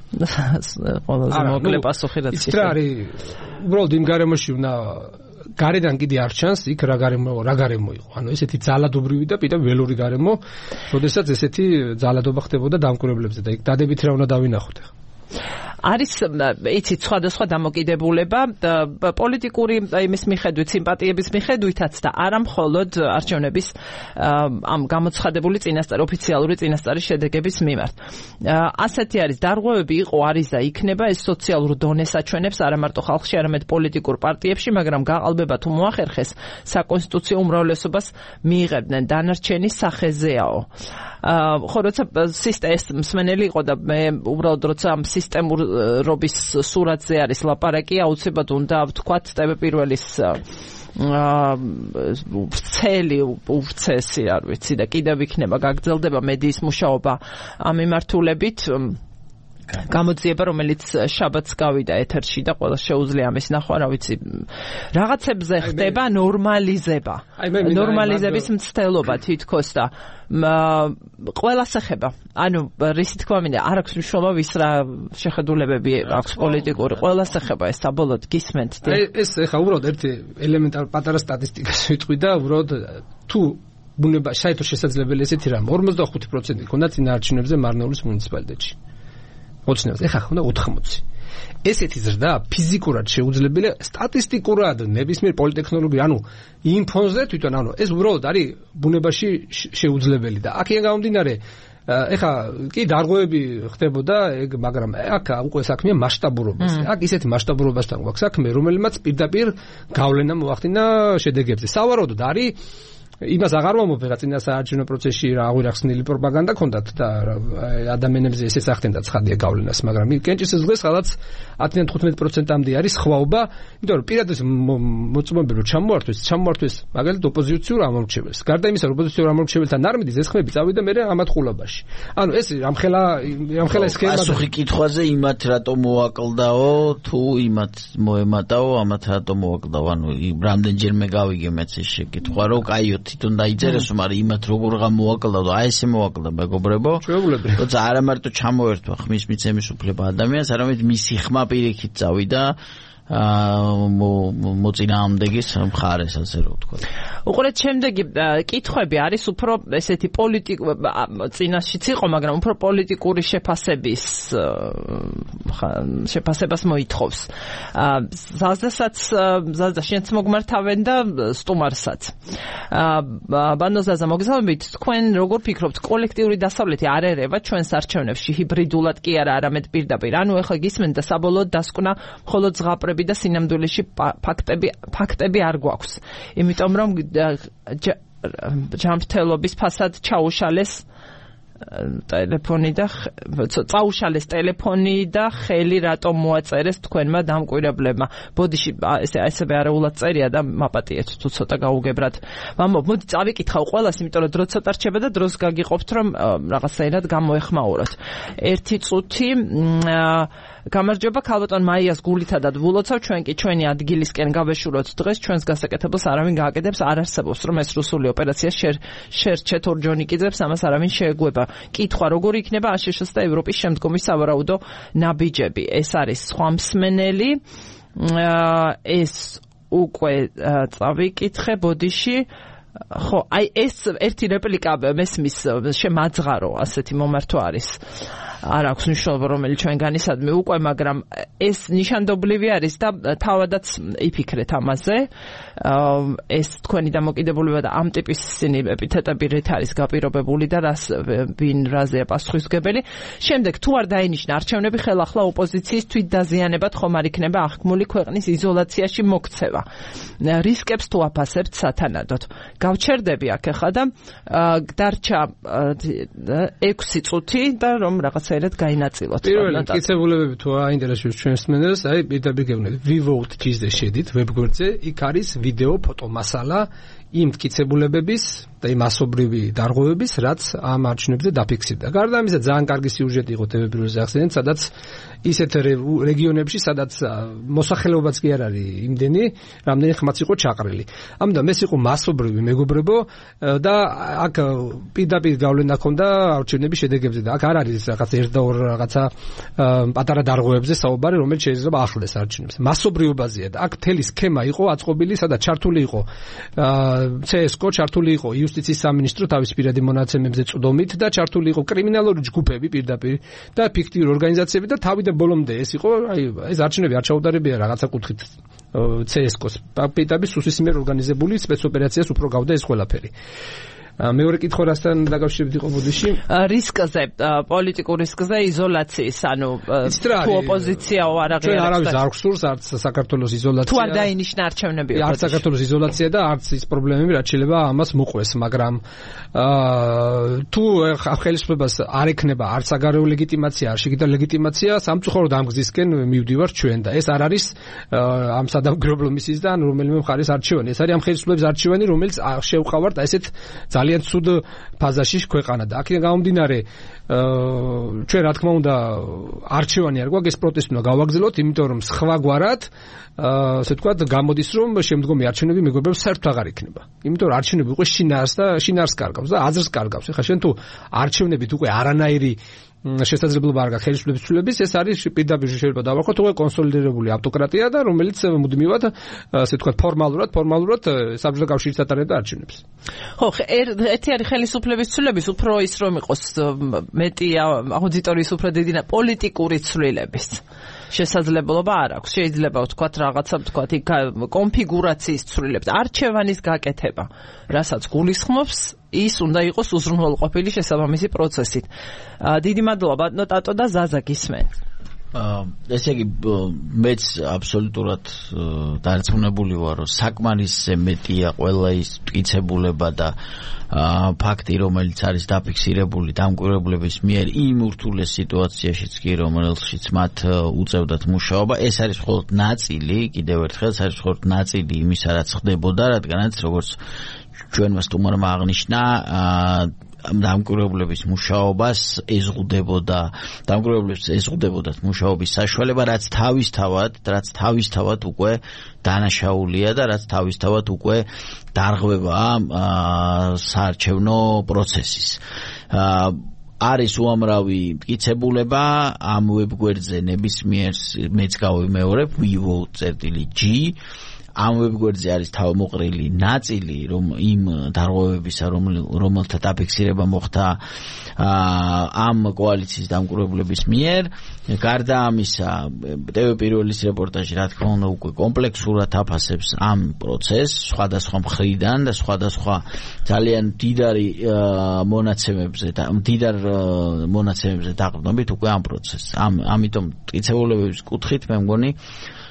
ყველაზე მოკლე პასუხი რაც ის რა არის, უბრალოდ იმ გარემოში უნდა გარედან კიდე არ ჩანს იქ რა გარემო რა გარემო იყო. ანუ ესეთი ძალადობრივი და პიტა ველური გარემო, როდესაც ესეთი ძალადობა ხდებოდა დამკვირვებლებზე და იქ დადებით რა უნდა დავინახოთ ახლა. არის იცით სხვადასხვა დამოკიდებულება პოლიტიკური იმის მიხედვით, სიმპათიების მიხედვითაც და არა მხოლოდ არჩევნების ამ გამოცხადებული წინასწარ ოფიციალური წინასწარი შედეგების მიმართ. ასეთი არის დარღვევები იყო, არის და იქნება, ეს სოციალურ დონეს აჩვენებს არა მარტო ხალხში, არამედ პოლიტიკურ პარტიებში, მაგრამ გაყალბება თუ მოახერხეს საკონსტიტუციო უმრავლესობას მიიღებდნენ, დანარჩენი სახეზეაო. ხო, როცა სისტემის მსმენელი იყო და მე უბრალოდ როცა ამ სისტემურ რობის სურათზე არის ლაპარაკი, აუცილებლად უნდა ვთქვათ ტევ პირველის ვრცელი უვრცესი არ ვიცი და კიდევ იქნება გაგრძელდება მედიის მუშაობა ამ მიმართულებით. გამოძიება, რომელიც შაბათს გავიდა ეთერში და ყველა შეუძლია ამის ნახვა, რა ვიცი, რაღაცებზე ხდება ნორმალიზება. ნორმალიზების მცდელობა თითქოს და ყველას ეხება. ანუ რისი თქვა მინდა, არ აქვს მნიშვნელობა ვის რა შეხედულებები აქვს პოლიტიკური, ყველას ეხება ეს საბოლოოდ გისმენთ. აი ეს ეხა უბრალოდ ერთი ელემენტარული პატარა სტატისტიკას ვიტყვი და უბრალოდ თუ ბუნება საერთოდ შესაძლებელი ესეთი რამ ორმოცდახუთი პროცენტი ქონდა წინაარჩევნებზე მარნეულის მუნიციპალიტეტში. ოცნებას ეხა ხონდა ოთხმოცი. ესეთი ზრდა ფიზიკურად შეუძლებელია, სტატისტიკურად ნებისმიერ პოლიტექნოლოგია, ანუ იმ ფონზე თვითონ, ანუ ეს უბრალოდ არის ბუნებაში შეუძლებელი და აქედან გამომდინარე ეხა კი დარღვევები ხდებოდა ეგ, მაგრამ აქ უკვე საქმეა მასშტაბურობაზე. აქ ისეთი მასშტაბურობასთან გვაქვს საქმე, რომელმაც პირდაპირ გავლენა მოახდინა შედეგებზე. სავარაუდოდ არის იმას აღარ მომოფერა წინა საარჩევნო პროცესში რა აღვირახსნილი პროპაგანდა ქონდათ და ადამიანებზე ესეც ახდენდა ცხადია გავლენას, მაგრამ კენჭისის დღეს ხალხს ათიდან თხუთმეტ პროცენტამდე არის ხვაობა, იმიტომ რომ პირადად მოწმობები რომ ჩამოართვეს, ჩამოართვეს მაგალითად ოპოზიციურ ამორჩეველს. გარდა იმისა, რომ ოპოზიციურ ამორჩეველთან არ მიდის, ეს ხმები წავიდა მერე ამათყულობაში. ანუ ეს რამხელა რამხელა სქემა პასუხი კითხვაზე იმათ რატომ მოაკლდაო, თუ იმათ მოემატაო, ამათ რატომ მოაკლდაო, ანუ რამდენჯერმე გავიგე მეც ეს შეკითხვა, რომ კაიო თვითონ დაიწერეს, მაგრამ იმათ როგორ გამოაკლდა და აი ესე მოაკლდა მეგობრებო. ჩვეულებრივ. როცა არა მარტო ჩამოერთვა ხმის მიცემის უფლება ადამიანს, არამედ მისი ხმა პირიქით წავიდა მოწინააღმდეგის მხარეს, ასე რომ ვთქვა. უყურეთ, შემდეგი კითხვები არის უფრო ესეთი პოლიტიკ წინაშიც იყო, მაგრამ უფრო პოლიტიკური შეფასების შეფასებას მოითხოვს. ზაზდასაც ზაზდა შენც მოგმართავენ და სტუმარსაც. ბანოზაზა მოგზაურობით, თქვენ როგორ ფიქრობთ, კოლექტიური დასავლეთი არ ერევა ჩვენს არჩევნებში ჰიბრიდულად კი არა, არამედ პირდაპირ. ანუ ეხლა გისმენთ და საბოლოოდ დასკვნა მხოლოდ ზღაპრები და სინამდვილეში ფაქტები ფაქტები არ გვაქვს. იმიტომ რომ ჯანმრთელობის ფასად ჩაუშალეს ტელეფონი და წაუშალეს ტელეფონი და ხელი რატომ მოაწერეს თქვენმა დამკვირვებლებმა. ბოდიში ესე ასევე არაულად წერია და მაპატიეთ თუ ცოტა გაუგებრად. მამო, მოდი წავიკითხავ ყველას, იმიტომ რომ დრო ცოტა რჩება და დროს გაგიყოფთ რომ რაღაცაირად გამოეხმაუროთ. ერთი წუთი გამარჯობა ქალბატონ მაიას გულითადად ვულოცავ, ჩვენ კი ჩვენი ადგილისკენ გავეშუროთ დღეს, ჩვენს გასაკეთებელს არავინ გააკეთებს, არ არსებობს რომ ეს რუსული ოპერაცია შერჩეთ ორჯონიკიძებს, ამას არავინ შეეგუება. კითხვა, როგორ იქნება აშშ-ს და ევროპის შემდგომი სავარაუდო ნაბიჯები. ეს არის სხვა მსმენელი. ეს უკვე წავიკითხე ბოდიში. ხო, აი ეს ერთი რეპლიკა მესმის შემაძღარო ასეთი მომართვა არის. არ აქვს მნიშვნელობა რომელიც ჩვენგანისადმი უკვე, მაგრამ ეს ნიშანდობლივი არის და თავადაც იფიქრეთ ამაზე. ეს თქვენი დამოკიდებულება და ამ ტიპის ისინი ეპითეტები რით არის გაპირობებული და რას ვინ რაზეა პასუხისმგებელი. შემდეგ თუ არ დაინიშნა არჩევნები, ხელახლა ოპოზიციის თვითდაზიანებად ხომ არ იქნება აღქმული ქვეყნის იზოლაციაში მოქცევა. რისკებს თუ აფასებთ სათანადოდ. გავჩერდები აქ ახლა და დარჩა ექვსი წუთი და რომ რაღაცაერად გაინაწილოთ. პირველი მტკიცებულებები თუ აინტერესებს ჩვენს მსმენელს, აი პირდაპირ გეუბნებით ვივოუტ.gz-ზე შედით ვებგვერდზე, იქ არის ვიდეო, ფოტო მასალა იმ მტკიცებულებების და იმ მასობრივი დარღვევების, რაც ამ არჩევნებზე დაფიქსირდა. გარდა ამისა, ძალიან კარგი სიუჟეტი იყო ტევ პირველზე ახსენეთ, სადაც ისეთ რეგიონებში, სადაც მოსახლეობაც კი არ არის იმდენი, რამდენი ხმაც იყო ჩაყრილი. ამიტომ ეს იყო მასობრივი მეგობრებო და აქ პირდაპირ გავლენა ჰქონდა არჩევნების შედეგებზე და აქ არ არის რაღაც ერთ და ორ რაღაცა პატარა დარღვევებზე საუბარი, რომელიც შეიძლება ახლდეს არჩევნებს. მასობრიობაზეა და აქ მთელი სქემა იყო აწყობილი, სადაც ჩართული იყო ცსკო, ჩართული იყო იუსტიციის სამინისტრო თავის პირადი მონაცემებზე წვდომით და ჩართული იყო კრიმინალური ჯგუფები პირდაპირ და ფიქტიური ორგანიზაციები და თავიდან ბოლომდე ეს იყო, აი ეს არჩევნები არ ჩაუდარებია რაღაცა კუთხით ცსკოს პირდაპირ სუსის მიერ ორგანიზებული სპეცოპერაციას უფრო გავდა ეს ყველაფერი. მეორე კითხვა რასთან დაკავშირებით იყო ბოდიში? რისკზე, პოლიტიკურ რისკზე, იზოლაციის, ანუ თუ ოპოზიციაო არ აღიარებს. ჩვენ არავის არ გსურს არც საქართველოს იზოლაცია. თუ არ დაინიშნა არჩევნები. არც საქართველოს იზოლაცია და არც ის პრობლემები, რაც შეიძლება ამას მოყვეს, მაგრამ თუ ხელისუფლებას არ ექნება არც საგარეო ლეგიტიმაცია, არ შეგიდა ლეგიტიმაცია, სამწუხაროდ ამ გზისკენ მივდივართ ჩვენ და ეს არ არის ამ სადამკვირვებლო მისიისგან რომელიმე მხარის არჩევანი. ეს არის ამ ხელისუფლების არჩევანი, რომელიც შევყავართ ესეთ ძალიან ცუდ ფაზაში ქვეყანა და აქედან გამომდინარე ჩვენ რა თქმა უნდა არჩევანი არ გვაქვს, ეს პროტესტი უნდა გავაგრძელოთ, იმიტომ რომ სხვაგვარად ასე ვთქვათ გამოდის რომ შემდგომი არჩევნები მეგობრებს საერთოდ აღარ იქნება. იმიტომ რომ არჩევნები უკვე შინაარს და შინაარს კარგავს და აზრს კარგავს. ეხლა შენ თუ არჩევნებით უკვე არანაირი შესაძლებლობა არ გაქვს ხელისუფლების ცვლილების, ეს არის პირდაპირ შეიძლება დავარქვათ უკვე კონსოლიდირებული ავტოკრატია და რომელიც მუდმივად ასე ვთქვათ ფორმალურად ფორმალურად საბჭოთა კავშირის ატარებდა არჩევნებს. ხო, ერთი არის ხელისუფლების ცვლილების, უფრო ის რომ იყოს მეტი აუდიტორიის უფრო დიდი და პოლიტიკური ცვლილების შესაძლებლობა არ აქვს. შეიძლება ვთქვათ რაღაცა ვთქვათ იქ კონფიგურაციის ცვლილებს, არჩევანის გაკეთება, რასაც გულისხმობს ის უნდა იყოს უზრუნველყოფილი შესაბამისი პროცესით. დიდი მადლობა ბატონო ტატო და ზაზა გისმენთ. ესე იგი მეც აბსოლუტურად დარწმუნებული ვარ, რომ საკმარისზე მეტია ყველა ის მტკიცებულება და ფაქტი, რომელიც არის დაფიქსირებული დამკვირვებლების მიერ იმ ურთულეს სიტუაციაშიც კი, რომელშიც მათ უწევდათ მუშაობა. ეს არის მხოლოდ ნაწილი, კიდევ ერთხელ ეს არის მხოლოდ ნაწილი იმისა, რაც ხდებოდა, რადგანაც როგორც ჩვენმა სტუმარმა აღნიშნა, დამკვირვებლების მუშაობას ეზღუდებოდა, დამკვირვებლებს ეზღუდებოდათ მუშაობის საშუალება, რაც თავისთავად, რაც თავისთავად უკვე დანაშაულია და რაც თავისთავად უკვე დარღვევა საარჩევნო პროცესის. არის უამრავი მტკიცებულება ამ ვებგვერდზე ნებისმიერ მეც გავიმეორებ ვივოუტ.gz ამ ვებგვერდზე არის თავმოყრილი ნაწილი რომ იმ დარღვევებისა რომელთა დაფიქსირება მოხდა ამ კოალიციის დამკვირვებლების მიერ. გარდა ამისა ტევ პირველის რეპორტაჟი რა თქმა უნდა უკვე კომპლექსურად აფასებს ამ პროცესს სხვადასხვა მხრიდან და სხვადასხვა ძალიან დიდარი მონაცემებზე და დიდარ მონაცემებზე დაყრდნობით უკვე ამ პროცესს. ამ ამიტომ მტკიცებულებების კუთხით მე მგონი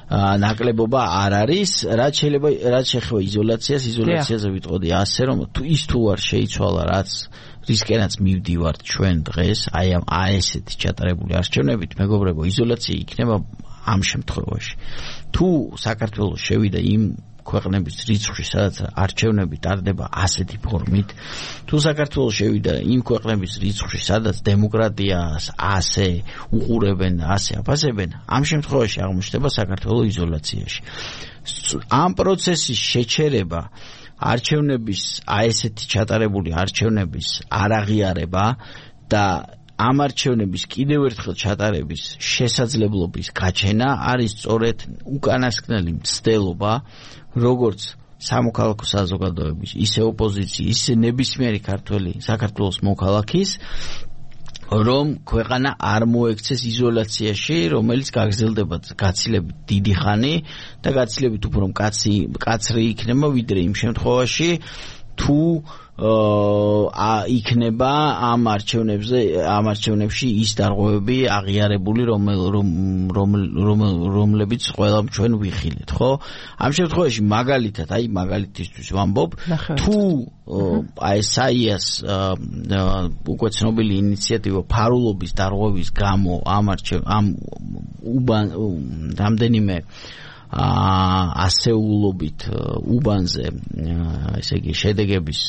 ნაკლებობა არ არის, რაც შეიძლება რაც შეეხება იზოლაციას, იზოლაციაზე ვიტყოდი ასე, რომ თუ ის თუ არ შეიცვალა, რაც რისკენაც მივდივართ ჩვენ დღეს, აი ამ ესეთი ჩატარებული არჩევნებით, მეგობრებო, იზოლაცია იქნება ამ შემთხვევაში. თუ საქართველოს შევიდა იმ ქვეყნების რიცხვში, სადაც არჩევნები ტარდება ასეთი ფორმით, თუ საქართველოს შევიდა იმ ქვეყნების რიცხვში, სადაც დემოკრატიას ასე უყურებენ და ასე აფასებენ, ამ შემთხვევაში აღმოჩნდება საქართველოს იზოლაციაში. ამ პროცესის შეჩერება, არჩევნების, აი ესეთი ჩატარებული არჩევნების არაღიარება და ამ არჩევნების კიდევ ერთხელ ჩატარების შესაძლებლობის გაჩენა არის სწორედ უკანასკნელი მცდელობა, როგორც სამოქალაქო საზოგადოების, ისე ოპოზიციის, ისე ნებისმიერი ქართველი საქართველოს მოქალაქის, რომ ქვეყანა არ მოექცეს იზოლაციაში, რომელიც გაგრძელდება გაცილებით დიდი ხანი და გაცილებით უფრო მკაცრი მკაცრი იქნება, ვიდრე იმ შემთხვევაში, თუ აა იქნება ამ არჩევნებზე ამ არჩევნებში ის დარღვევები აღიარებული, რომლებიც ყველა ჩვენ ვიხილეთ, ხო? ამ შემთხვევაში მაგალითად, აი მაგალითისთვის ვამბობ, თუ აი საიას უკვე ცნობილი ინიციატივა ფარულობის დარღვევის გამო ამ არჩევ ამ უბან რამდენიმე ასეულობით უბანზე ესე იგი შედეგების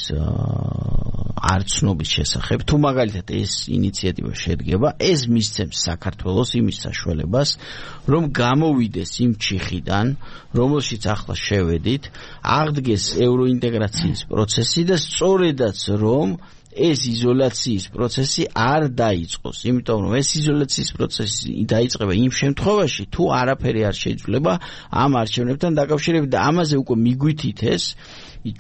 არცნობის შესახებ, თუ მაგალითად ეს ინიციატივა შედგება, ეს მისცემს საქართველოს იმის საშუალებას, რომ გამოვიდეს იმ ჩიხიდან, რომელშიც ახლა შევედით, აღდგეს ევროინტეგრაციის პროცესი და სწორედაც რომ ეს იზოლაციის პროცესი არ დაიწყოს, იმიტომ რომ ეს იზოლაციის პროცესი დაიწყება იმ შემთხვევაში, თუ არაფერი არ შეიძლება ამ არჩევნებთან დაკავშირებით და ამაზე უკვე მიგვითითეს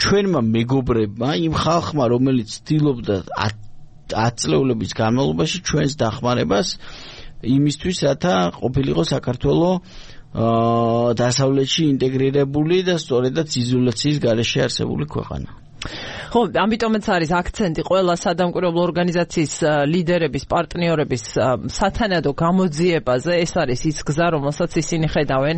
ჩვენმა მეგობრებმა, იმ ხალხმა, რომელიც ცდილობდა ათ წლეულების განმავლობაში ჩვენს დახმარებას იმისთვის, რათა ყოფილიყო საქართველო დასავლეთში ინტეგრირებული და სწორედაც იზოლაციის გარეშე არსებული ქვეყანა. ხო, ამიტომაც არის აქცენტი ყველა სადამკვირვებლო ორგანიზაციის ლიდერების, პარტნიორების სათანადო გამოძიებაზე. ეს არის ის გზა, რომელსაც ისინი ხედავენ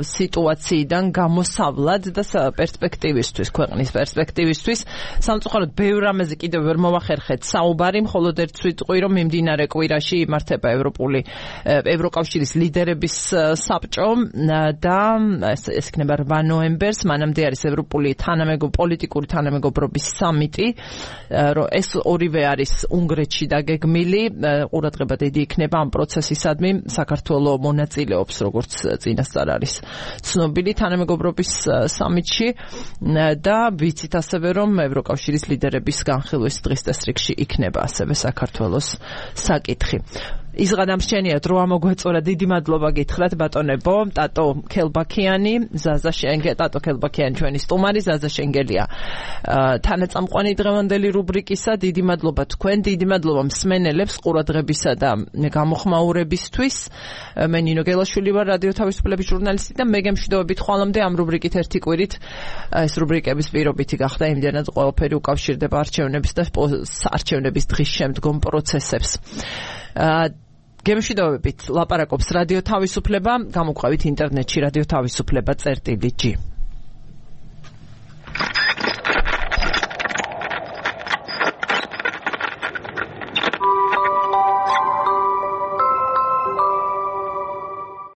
სიტუაციიდან გამოსავლად და პერსპექტივისთვის, ქვეყნის პერსპექტივისთვის. სამწუხაროდ, ბევრ რამეზე კიდევ ვერ მოვახერხეთ საუბარი, მხოლოდ ერთ სიტყვი, რომ მიმდინარე კვირაში იმართება ევროპული ევროკავშირის ლიდერების საბჭო და ეს იქნება რვა ნოემბერს, მანამდე არის ევროპული თანამეგობრობის პოლიტიკური თანამეგობრობის სამიტი, რომ ეს ორივე არის უნგრეთში დაგეგმილი, ყურადღება დიდი იქნება ამ პროცესისადმი, საქართველოს მონაწილეობს, როგორც წინასწარ არის ცნობილი თანამეგობრობის სამიტში და ვიცით ასევე, რომ ევროკავშირის ლიდერების განხილვის დღის წესრიგში იქნება ასევე საქართველოს საკითხი. იზღადამრჩენია დრო ამოგვეწორა, დიდი მადლობა გითხრათ ბატონებო, ტატო ქელბაქიანი, ზაზა შენგე, ტატო ქელბაქიანი ჩვენი სტუმარი, ზაზა შენგელია თანაწამყვანი დღევანდელი რუბრიკისა. დიდი მადლობა თქვენ, დიდი მადლობა მსმენელებს ყურადღებისა და გამოხმაურებისთვის. მე ნინო გელაშვილი ვარ, რადიო თავისუფლების ჟურნალისტი და მე გემშვიდობებით ხვალამდე ამ რუბრიკით ერთი კვირით. ეს რუბრიკების პირობითი გახდა, იმდენად ყველაფერი უკავშირდება არჩევნების და არჩევნების დღის შემდგომ პროცესებს. გემშვიდობებით ლაპარაკობს რადიო თავისუფლება, გამოგვყავით ინტერნეტში რადიო თავისუფლება წერტილი ჯი.